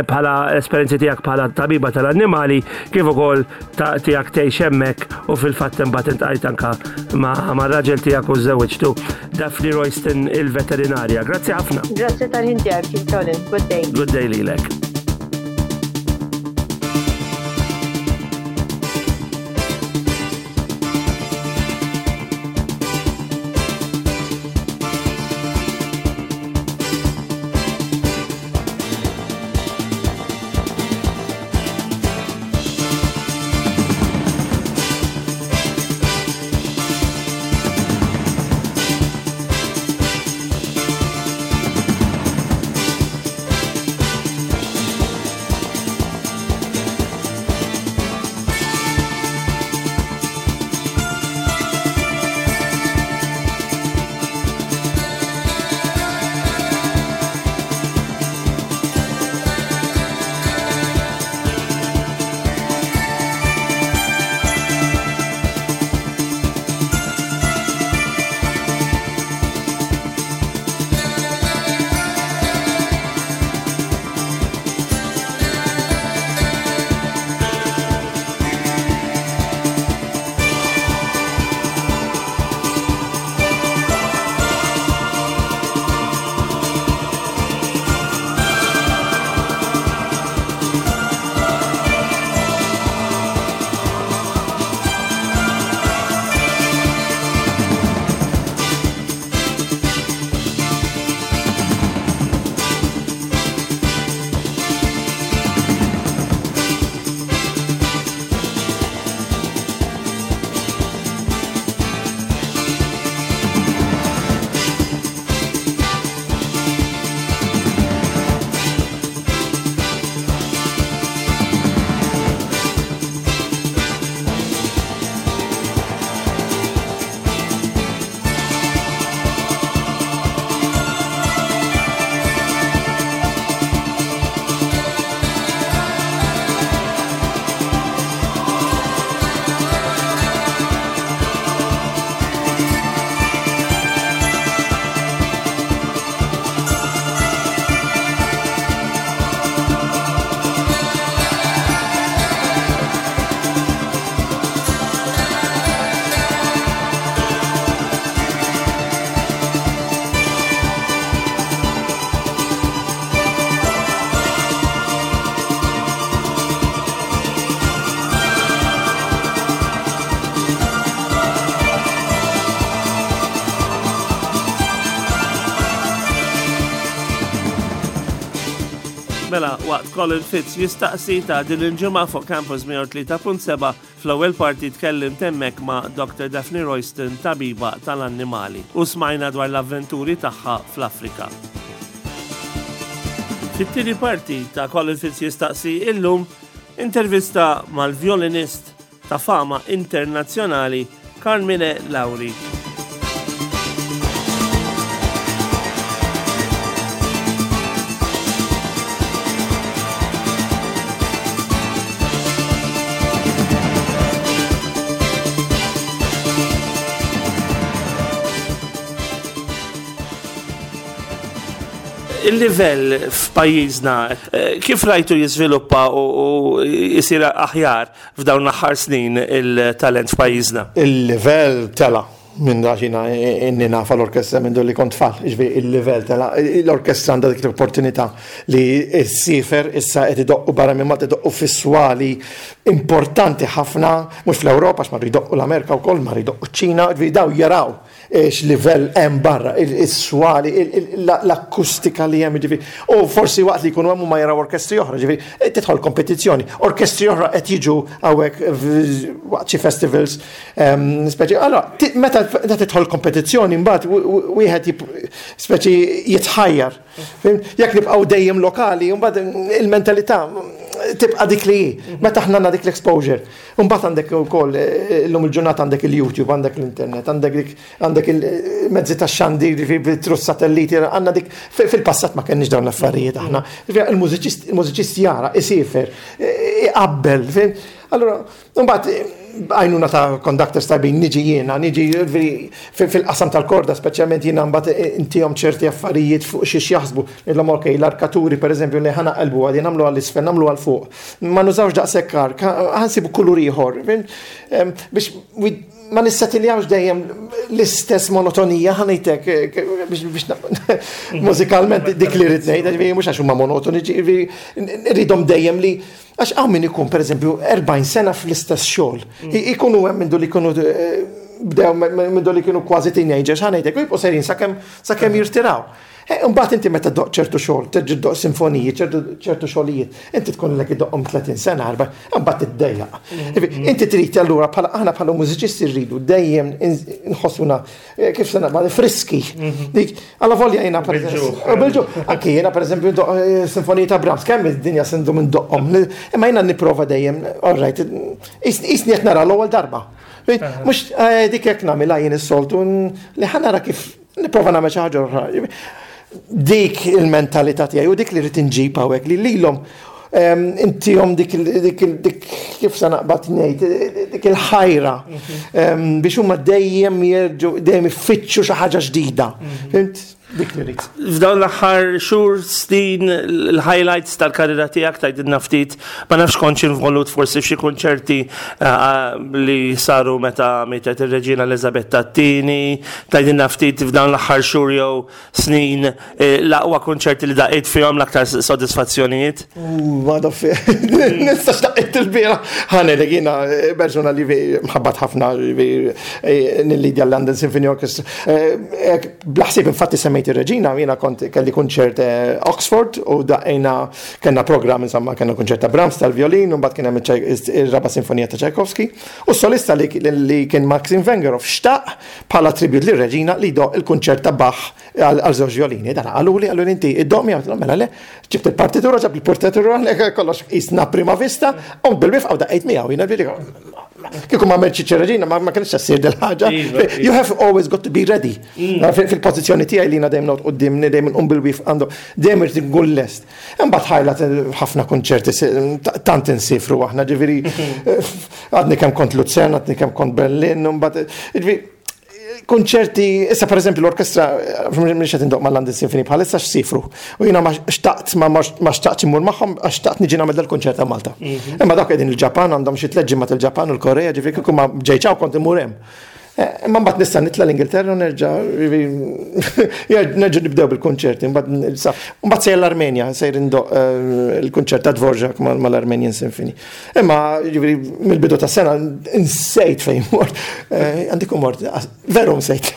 bħala esperjenzi tiegħek bħala tabiba tal-annimali, kif ukoll tiegħek tgħix hemmhekk u fil-fatt imbagħad intqajt anka ma' raġel tiegħek u żewġtu Daphne Royston il-veterinarja. Grazzi ħafna.
Grazzi tal-ħin tiegħek, Colin. Good day.
Good day lilek. Mela, waqt Colin Fitz jistaqsi ta' din il-ġimgħa fuq Campus 103.7 fl-ewwel parti tkellimt hemmhekk ma' Dr. Daphne Royston, tabiba tal-annimali, u smajna dwar l-avventuri tagħha fl-Afrika. Fit-tieni parti ta' Colin Fitz jistaqsi illum intervista mal-violinist ta' fama internazzjonali Carmine Lauri. Il-livell f'pajjiżna eh, kif rajtu jiżviluppa u jisir aħjar f'dawn l-aħħar snin il-talent f'pajjiżna?
Il-livell tela' minn għax jiena inni nafa l-orkestra minn li kont tfal, ġifieri il-livell tela' l-orkestra għandha dik l-opportunità li ssiefer issa qed idoqqu barra minn Malta idoqqu fi swali importanti ħafna, mhux fl-Ewropa għax marru jdoqqu l-Amerika wkoll, marru jdoqqu ċ-Ċina, ġifieri dawn jaraw x'livell hemm barra, is-swali, l-akustika li hemm, ġifieri. U forsi waqt li jkunu hemm huma jaraw orkestri oħra, ġifieri, tidħol kompetizzjoni. Orkestri oħra qed jiġu hawnhekk waqt xi festivals, speċi, allora, meta tidħol kompetizzjoni mbagħad wieħed speċi jitħajjar. Jekk nibqgħu dejjem lokali, mbagħad il-mentalità tibqa' dik li hi. Meta aħna għandna dik l-exposure. Imbagħad għandek ukoll illum il-ġurnata għandek il-YouTube, għandek l-internet, għandek dik għandek il-mezzi tax-xandir, trus satelliti, għandna dik fil-passat ma kenniex dawn l-affarijiet aħna. Il-mużiċist il-mużiċist jara, isiefer, iqabbel, Allura, imbagħad għajnuna ta' conductors tajbin niġi jiena, niġi fil-qasam tal-korda, speċjalment jiena mbagħad intihom ċerti affarijiet fuq xiex jaħsbu. Ngħidilhom ok, l-arkaturi pereżempju li ħa naqilbu għadi nagħmlu għall-isfel, nagħmlu għal fuq. Ma nużawx daqshekk ark, ħa nsibu kulur ieħor. Biex ma nissettiljawx dejjem l-istess monotonija ħa ngħidlek biex mużikalment dik li rrid ngħid, mhux għax huma monotoni, rridhom dejjem li għax hawn min ikun pereżempju 40 sena fl-istess xogħol. Ikunu hemm mindu li jkunu eh, bdew mindu li kienu kważi teenagers, ħa ngħidlek, u jibqgħu sejrin sakemm jirtiraw. Eh, imbagħad inti meta ddoqq ċertu xogħol, terġa' ddoqq sinfoniji, ċertu xogħlijiet, inti tkun lek iddoqqhom 30 sena, arba, imbagħad tiddejjaq. Mm. Inti trid allura bħala aħna bħala mużiċisti rridu dejjem nħossuna eh, kif se naqbad friski. Mhm. Dik alla volja jiena pereżempju. Anki jiena pereżempju ndoq eh, sinfoniji ta' Brahms, kemm id-dinja sendu minn doqqhom. Imma jiena nipprova dejjem, all right, isni qed nara l-ewwel darba. Mhux dik hekk nagħmilha jien is-soltu li ħanara kif Nipprova nagħmel xi ħaġa oħra. Dik il-mentalità tiegħi u dik li rrid inġib hawnhekk li lilhom ehm, intihom dik dik kif se naqbad ngħid dik il-ħajra mhm. ehm, biex huma dejjem jerġgħu dejjem ifittxu xi ħaġa ġdida. Mhm. Fhimt? Dik li rrid.
F'dawn l-aħħar xhur snin l-highlights tal-karriera tiegħek tgħidilna ftit ma nafx kontx involut forsi f'xi kunċerti eh, li saru meta mietet ir-Reġina Elizabetta t-tieni, Tgħidilna ftit f'dawn l-aħħar xhur jew snin eh, l-aqwa kunċerti li daqqejt fihom l-aktar sodisfazzjonijiet?
Ma naf, nistax daqqejt il-bira. Ħanelek jiena eh, persuna li mħabbat ħafna eh, nillidja l-London Symphony Orchestra. Blaħsib infatti semmejt ir-Reġina, jiena kont kelli kunċert Oxford u daqqejna kellna programm insomma kellna kunċert ta' Brahms tal-violin u mbagħad kien hemm ir-raba' sinfonija ta' Tchaikovsky. U s-solista li kien Maxim Vengerov xtaq bħala tribute lir-Reġina li jdoqq il-kunċert ta' Bach għal żewġ vjolini. Dan qaluli, qaluli inti iddoq miegħu, għedtilhom mela le, ġibt il-partitura, ġab il-partitura, kollox qisna prima vista, u bil-wifqa u daqqejt miegħu, jiena ġifieri kieku ma għamiltx ċ-Reġina ma kienx ssir dil-ħaġa. Iva, iva. You have always got to be ready. Mm. Fil-pożizzjoni tiegħi li jiena dejjem noqgħod quddiem, dejjem nqum bil-wifqa għandu, dejjem irid nkun lest. Imbagħad ħajlat ħafna kunċerti tant insifru aħna, ġifieri għadni kemm kont Luzern, għadni kemm kont Berlin, imbagħad ġifieri kunċerti, issa per eżempju l-orkestra, mhux qed indoq mal-London Symphony bħalissa x'sifru. U jiena ma xtaqt ma xtaqt immur magħhom għax xtaqt niġi nagħmel dal-kunċert ta' Malta. Mhm. Imma dawk qegħdin il-Ġapan għandhom xi tliet ġimgħat il-Ġapan u l-Korea, ġifieri kieku ma ġejċaw kont immur hemm. Eh, imma mbagħad nista' nitla' l-Ingilterra u nerġa' nerġa' nibdew bil-kunċerti, mbagħad sejjer l-Armenja, sejjer indoq eh, il-kunċert ta' Dvorak mal-Armenian Symphony. Imma jiġifieri mill-bidu ta' sena nsejt fejn mort, eh, għandi mort, veru nsejt.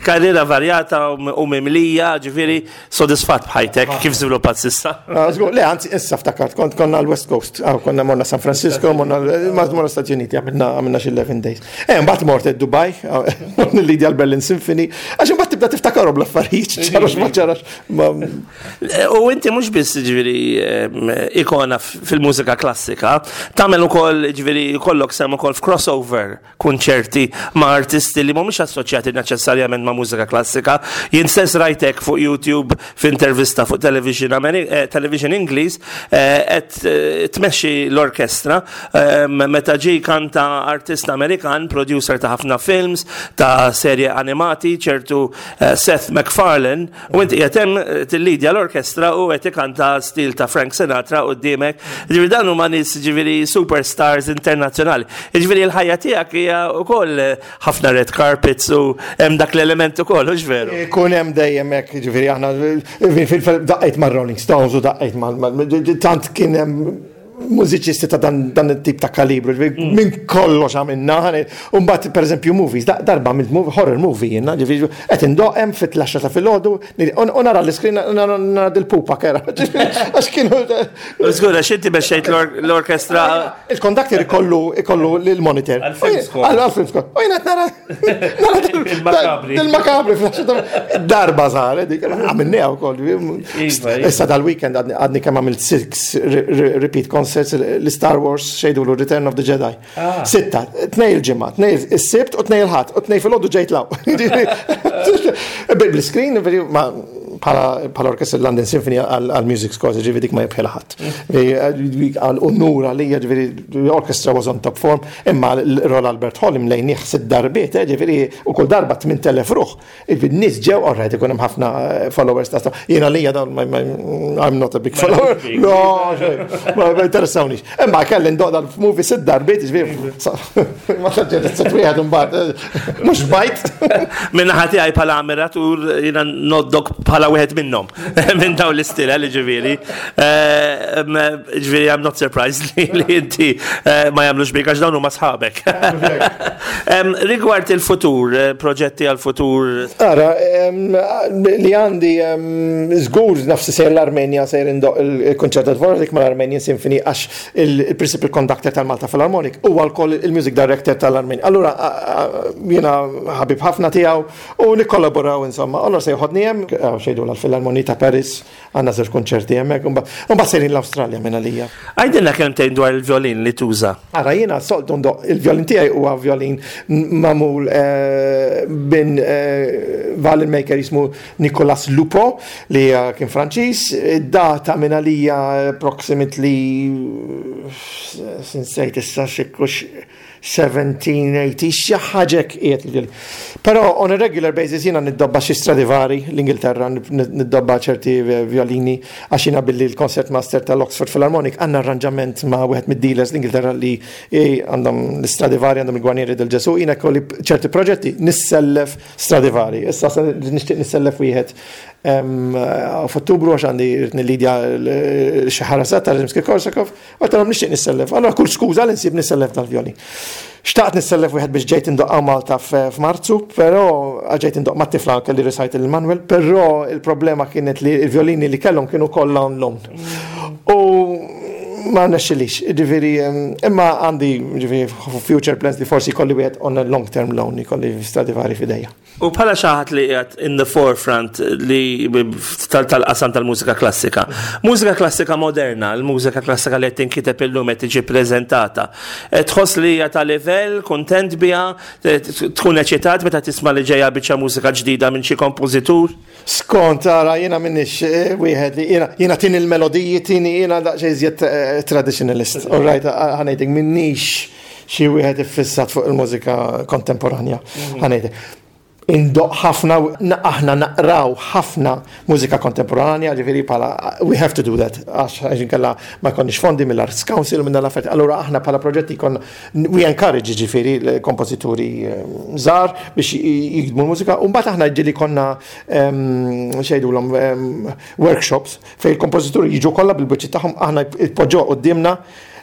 Karriera varjata u mimlija, ġifieri sodisfatt b'ħajtek kif żviluppat s'issa.
Ah, le, anzi, issa ftakart, kont konna l-West Coast, ah, konna morna San Francisco, morna morna Stati Uniti, għamilna xi 11 days. Eh, mbagħad mort Dubai, ah, nillidja l-Berlin Symphony, għax imbagħad tibda tiftakarhom l-affarijiet, ċarax ma ċarax.
U inti mhux biss ġifieri ikona fil-mużika klassika, tagħmel ukoll ġifieri jkollok sem ukoll f'crossover kunċerti ma' artisti li mhumiex assoċjati neċessarjament ma' mużika klassika. Jien stess rajtek fuq YouTube f'intervista fuq television, eh, television Ingliż eh, qed eh, tmexxi l-orkestra meta ġie kanta artist Amerikan, producer ta' ħafna films, ta' serje animati, ċertu Seth MacFarlane, U inti qiegħed hemm eh, tillidja l-orkestra u qed ikanta stil ta' Frank Sinatra quddiemek. Ġifieri dan huma nies ġifieri superstars internazzjonali. Ġifieri l-ħajja tiegħek hija wkoll eh, ħafna red carpets u hemm dak l-element ukoll, hux veru?
Ikun hemm dejjem hekk, ġifieri aħna daqqejt mar-Rolling Stones u daqqejt mal tant kien hemm mużiċisti ta' dan, dan it-tip ta' kalibru, ġifieri mm. minn kollox għamilna, u mbagħad pereżempju movies, darba għamilt movie, horror movie jiena, ġifieri qed indoq hemm fit-tlaxxa ta' filgħodu u nara l-iskrin nara dil-pupa kera. Għax kienu.
Żgur għax inti mexxejt l-orkestra.
Il-kondakter ikollu ikollu l-monitor.
Għal-film
score. U jiena nara nara il-makabri Darba saret dik għamilniha wkoll. Iva, iva. Issa dal-weekend għadni kemm għamilt six repeat concerts l-Star Wars xejdu Return of the Jedi. Ah. Sitta, tnej il-ġimgħa, tnej is-sibt u tnej il-ħadd, u tnej fil-ħodu ġejt law. Bil-screen, bħala orkestra London Symphony għal-music scores, ġivi dik ma jibħela ħadd. Għal unur għalija, ġivi l-orkestra was on top form, imma l-Royal Albert Hall imlejnieh sitt darbiet, eh, ġifieri u kull darba 8000 ruħ. In-nies ġew, all right, ikun hemm ħafna eh, followers ta' jiena lija dawn I'm not a big follower. No, ma interessawniex. Imma kelli ndoq dal-movie sitt darbiet, ġifieri ma saġġet sitt wieħed imbagħad eh, mhux bajt.
Minna ħati għaj bħala ammiratur jiena noddok bħala wieħed minnhom minn dawn l-istila li ġifieri. Eh, ġifieri I'm not surprised li inti ma jagħmlux bik għax dawn huma sħabek. Rigward il-futur, eh, proġetti għal-futur.
Ara, li għandi żgur nafsi sejr l-Armenja sejr indoq il-konċert Dvorak mal-Armenian Symphony għax il-principal conductor tal-Malta Philharmonic huwa wkoll il-music director tal-Armenja. Allura jiena ħabib ħafna tiegħu u nikkollaboraw insomma. Allura se joħodni hemm xejdu l-Philharmony ta' Paris Għandna żewġ kunċerti hemmhekk, u mbagħad sejrin l-Awstralja minn għalija.
Għidilna kelmtejn dwar il-vjolin li tuża.
Ara jiena soltu ndoqq il-vjolin tiegħi huwa vjolin magħmul minn violin maker jismu Nicolas Lupo li kien Franċiż. Data minn għalija approximately nsejt issa xi 1780, xi ħaġa hekk qiegħed il-violin. Però on a regular basis jiena niddobba xi Stradivari l-Ingilterra, niddobba ċerti violini għax jiena billi l-concert master tal-Oxford Philharmonic għandna arranġament ma' wieħed mid-dealers l-Ingilterra li għandhom l-Stradivari, għandhom il-Guarnieri del Gesù, jiena jkolli ċerti proġetti nissellef Stradivari. Issa se nixtieq nissellef wieħed f'Ottubru għax għandi rrid nillidja xi ħarasat ta' Rimsky-Korsakov. Għedtilhom nixtieq nissellef. Allura kull skuża li nsib nissellef dal-vjolin. Xtaqt nissellef wieħed biex ġejt indoqqa Malta f'Marzu, però ġejt indoq mat-tifla kelli recital il-Manuel, però il-problema kienet li l-vjolini li kellhom kienu kollha on loan. U ma nexxilix, ġifieri, imma għandi ġifieri future plans li forsi jkolli wieħed on a long term loan, jkolli Stradivari f'idejja.
U bħala xi ħadd li qiegħed in the forefront li tal-qasam tal-mużika klassika. Mużika klassika moderna, l-mużika klassika li qed tinkiteb illum qed tiġi preżentata. Eh, tħoss li hija ta' livell, kuntent biha, tkun eċitat meta tisma' li ġejja biċċa mużika ġdida minn xi kompożitur?
Skont ara jiena minnix eh, wieħed li jiena jiena tini l-melodiji tini jiena daqsxejn iżjed eh, traditionalist. All right, ħanejdek minnix xi wieħed iffissat fuq il-mużika kontemporanja. Mhm. Ħanejdek. Indoq ħafna, aħna naqraw ħafna mużika kontemporanja, ġifieri bħala we have to do that, għax inkella ma jkollniex fondi mill-Arts Council u minn l-affarijiet. Allura aħna bħala proġetti konna we encourage ġifieri l-kompożituri eh, żgħar biex jiktbu l-mużika, u mbagħad aħna ġieli konna ehm, xejdulhom ehm, workshops fejn il-kompożituri jiġu kollha bil-biċċi tagħhom aħna jpoġġuha quddiemna.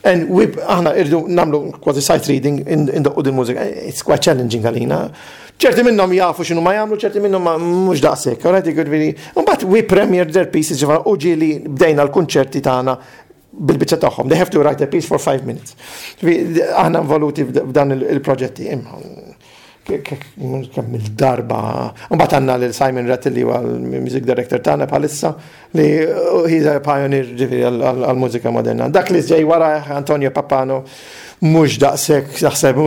And we, aħna irdu nagħmlu kważi sight reading indoqqu din mużika. It's quite challenging għalina. ċerti minnhom jafu x'inhu ma jagħmlu, ċerti minnhom mhux daqshekk. Alright, jiġifieri. Mbagħad we premiere their pieces ġifieri u ġieli bdejna l-kunċerti tagħna bil-biċċa tagħhom. They have to write a piece for five minutes. Aħna involuti f'dan il-proġetti. Kemm il-darba. Mbagħad għandna lil Simon Rattle li huwa l-music director tagħna bħalissa li he's a pioneer ġifieri għall-mużika moderna. Dak li ġej wara Antonio Pappano mhux daqshekk naħseb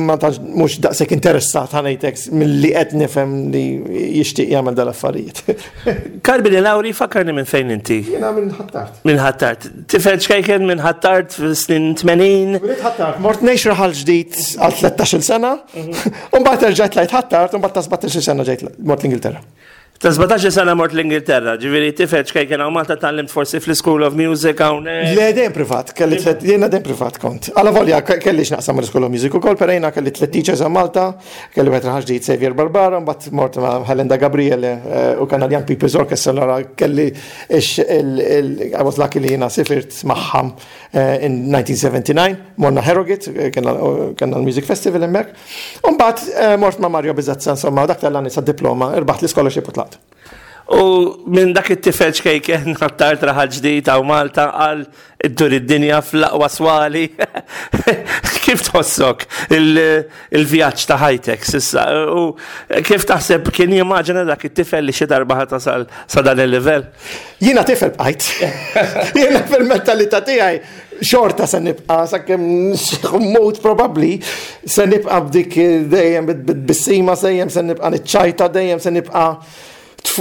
ma tantx mhux daqshekk interessat ħa ngħidlek milli qed nifhem li jixtieq jagħmel dal-affarijiet.
Carmine Lauri fakkarni minn fejn inti.
Jiena minn Ħ'Attard.
Minn Ħ'Attard. Tifel ċkejken minn Ħ'Attard fis-snin 80.
Twelidt Ħ'Attard, mort ngħix Raħal Ġdid għal 13-il sena, u mbagħad erġajt tlajt Ħ'Attard u mbagħad ta' 17-il sena ġejt mort l-Ingilterra.
Ta' 17 sena mort l-Ingilterra, ġifieri tifel ċkejken hawn Malta tgħallimt forsi fl-School of Music hawnhekk.
Le dejjem privat, kelli tliet, jiena dejjem privat kont. Alla volja kelli x'naqsam mal-School of Music ukoll, però jiena kelli tliet teachers hawn Malta, kelli wieħed Raħal Ġdid Xavier Barbara, mbagħad mort ma' Helen da Gabriele eh, u kellna l-Young People's Orchestra allora kelli I was lucky li jiena sifirt magħha eh, in 1979, morna Harrogate, eh, kellna l-Music Festival hemmhekk. Umbagħad eh, mort ma' Mario Bizazza, insomma, dak tal-għani sa' diploma, irbaħt l-scholarship u tlaqt.
U minn dak it-tifel ċkejken ħattart raħal ġdid hawn Malta għal iddur id-dinja fl-aqwa swali. Kif tħossok il-vjaġġ ta' ħajtek sissa? U kif taħseb kien jimmaġina dak it-tifel li xi darba ħa tasal sa dan il-livell?
Jiena tifel bqajt. Jiena fil-mentalità tiegħi xorta se nibqa' sakemm mmut probabbli se nibqa' b'dik dejjem bit-tbissima dejjem se nibqa' niċċajta dejjem se nibqa'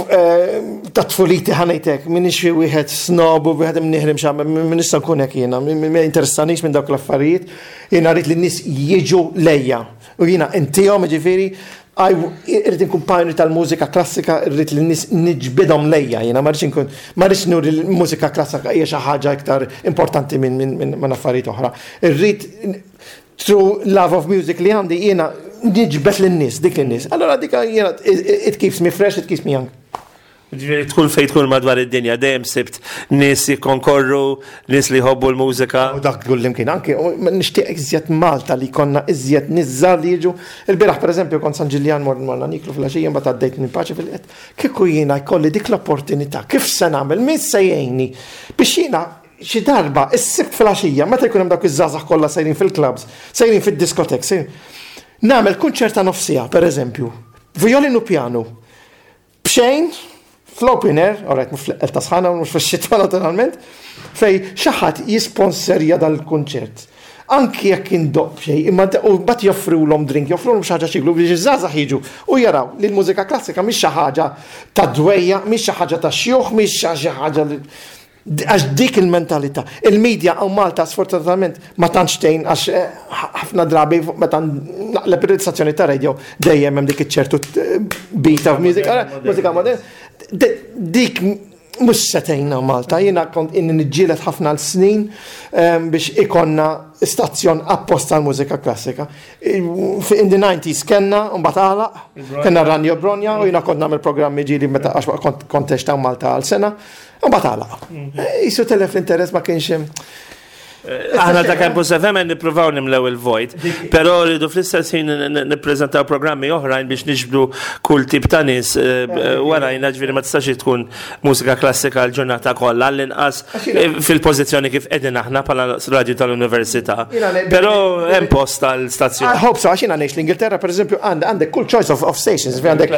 eh, ta' tfuliti ħanejtek, minix xi wieħed snob u wieħed imniħrim xi minix se nkun hekk jiena, ma jinteressanix minn dawk l-affarijiet, jiena rrid li n-nies jiġu lejja. U jiena intihom ġifieri Irrid inkun pioneer tal-mużika klassika, irrid li n-nies niġbidhom lejja jiena, ma rridx inkun, ma rridx nuri li l-mużika klassika hija xi ħaġa iktar importanti minn affarijiet oħra. Irrid through love of music li għandi jiena niġbed lin-nies, dik lin-nies. Allura dik jiena it keeps me fresh, it keeps me young.
Ġifieri tkun fejn tkun madwar id-dinja dejjem sibt nies jikkonkorru, nies li jħobbu l-mużika.
U dak kullimkien anke nixtieq iżjed Malta li jkollna iżjed nies żgħar li jiġu. Il-bieraħ pereżempju kont San Ġiljan morna nieklu filgħaxija mbagħad għaddejt minn Paċi fil-Qed. Kieku jiena jkolli dik l-opportunità, kif se nagħmel, min se jgħinni biex jiena xi darba is-Sibt filgħaxija meta jkun hemm dawk iż-żgħażagħ kollha sejrin fil-clubs, sejrin fid-diskotek, sejrin nagħmel kunċert ta' nofs siegħa pereżempju, vjolin u pjanu. B'xejn, fl-open air, alright, mhux fl-eqqel ta' sħana u mhux fix-xitwa naturalment, fejn xi ħadd jisponserja dan il-kunċert. Anki jekk indoqq b'xejn, imma u mbagħad joffrulhom drink, joffrulhom xi ħaġa x'jieklu biex iż-żgħażagħ jiġu u jaraw li l-mużika klassika mhix xi ħaġa ta' dwejjaq, mhix xi ħaġa ta' xjuħ, mhix xi ħaġa li Għax dik il-mentalità. Il-media hawn Malta sfortunatament ma tantx tgħin għax eh, ħafna drabi meta naqleb ir-stazzjoni ta' radio dejjem hemm dik iċ-ċertu beat of music, mużika moderna. Dik mhux se tgħinna Malta, jiena kont inni niġġieled ħafna l-snin ehm, biex ikonna stazzjon apposta l-mużika klassika. In the 90s kellna, mbagħad għalaq, kellna Ranjo Bronja u jiena kont nagħmel programmi ġieli meta għax kont ta' Malta għal sena. U mbagħad għalaq. Mhm. Jisu telef l-interess ma kienx hemm.
Eh, aħna ta' Campus FM nippruvaw nimlew il-vojt, però rridu fl-istess ħin nippreżentaw programmi oħrajn biex niġbdu kull tip ta' nies eh, eh, warajna ġifieri ma tistax tkun mużika klassika l-ġurnata kollha l-inqas fil-pożizzjoni kif qegħdin aħna bħala radju tal-università. Però hemm post tal-stazzjon.
I hope so, għax jiena ngħix l-Ingilterra pereżempju għandek kull choice of stations, għandek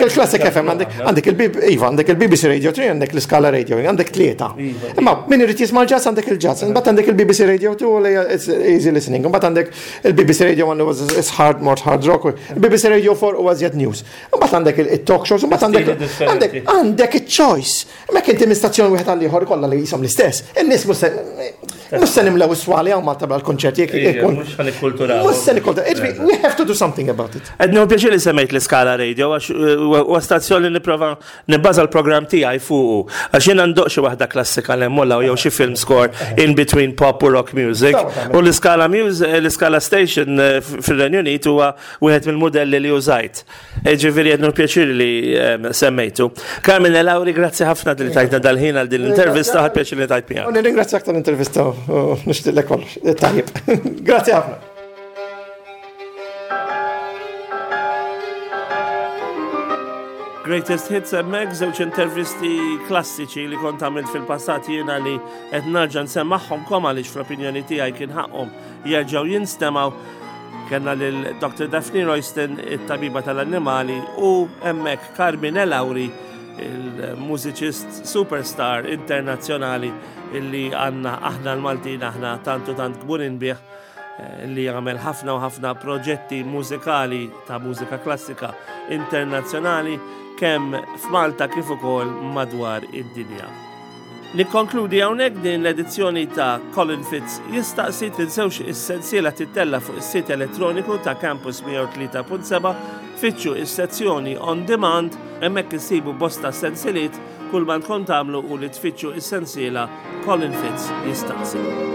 il-Classic FM, għandek il-Iva, għandek il-BBC Radio 3, għandek l-Iskala Radio, għandek tlieta. Iva. Imma min irid jisma' l-jazz għandek il-jazz, imbagħad għandek il-BBC Radio 2 li it's easy listening, imbagħad għandek il-BBC Radio 1 was it's hard more hard rock, il-BBC Radio 4 huwa żjed news. Imbagħad għandek il-talk shows, imbagħad għandek għandek għandek il-choice. Imma inti minn stazzjon wieħed għal ieħor kollha li jisom l-istess. In-nies mhux mhux se nimlew is-swali hawn Malta bħal konċerti jekk ikun.
Mhux ħa nikkulturaw.
Mhux se nikkulturaw. We have to do something about it.
Qed nieħu pjaċir li semmejt l-Iskala Radio għax eh, huwa stazzjon li nipprova nibbaża l-programm tiegħi fuqu. Għax jiena ndoq xi waħda klassika l hemm jew xi film score in between pop u rock music. U l-Iskala Music, eh, l-Iskala Station eh, fir-Renju Unit huwa wieħed mill-modelli li użajt. Ġifieri qed pjaċir li semmejtu. Carmine Lauri, grazzi ħafna li tajtna dal-ħin għal din l-intervista, ħadd pjaċir li tajt miegħek.
Nirringrazzjak tal-intervista. nixtieqlek kollox. Tajjeb. Grazzi ħafna.
Greatest Hits hemmhekk żewġ intervisti klassiċi li kont għamilt fil-passat jiena li qed narġa' nsemmagħhom kom għaliex fl-opinjoni tiegħi kien ħaqhom jerġgħu jinstemgħu. Kellna lil Dr. Daphne Royston, it-tabiba tal-annimali, u hemmhekk Carmine Lauri, il-mużiċist superstar internazzjonali illi għandna aħna l-Maltin aħna tantu tant kburin bih eh, li għamel ħafna u ħafna proġetti mużikali ta' mużika klassika internazzjonali kemm f'Malta kif ukoll madwar id-dinja. Nikkonkludi hawnhekk din l-edizzjoni ta' Colin Fitz jistaqsi tinsewx is-sensiela tittella fuq is-sit elettroniku ta' Campus 103.7 fittxu is-sezzjoni On Demand hemmhekk issibu bosta sensiliet kull ma tkun tagħmlu u li tfittxu is-sensiela Colin Fitz jistaqsi.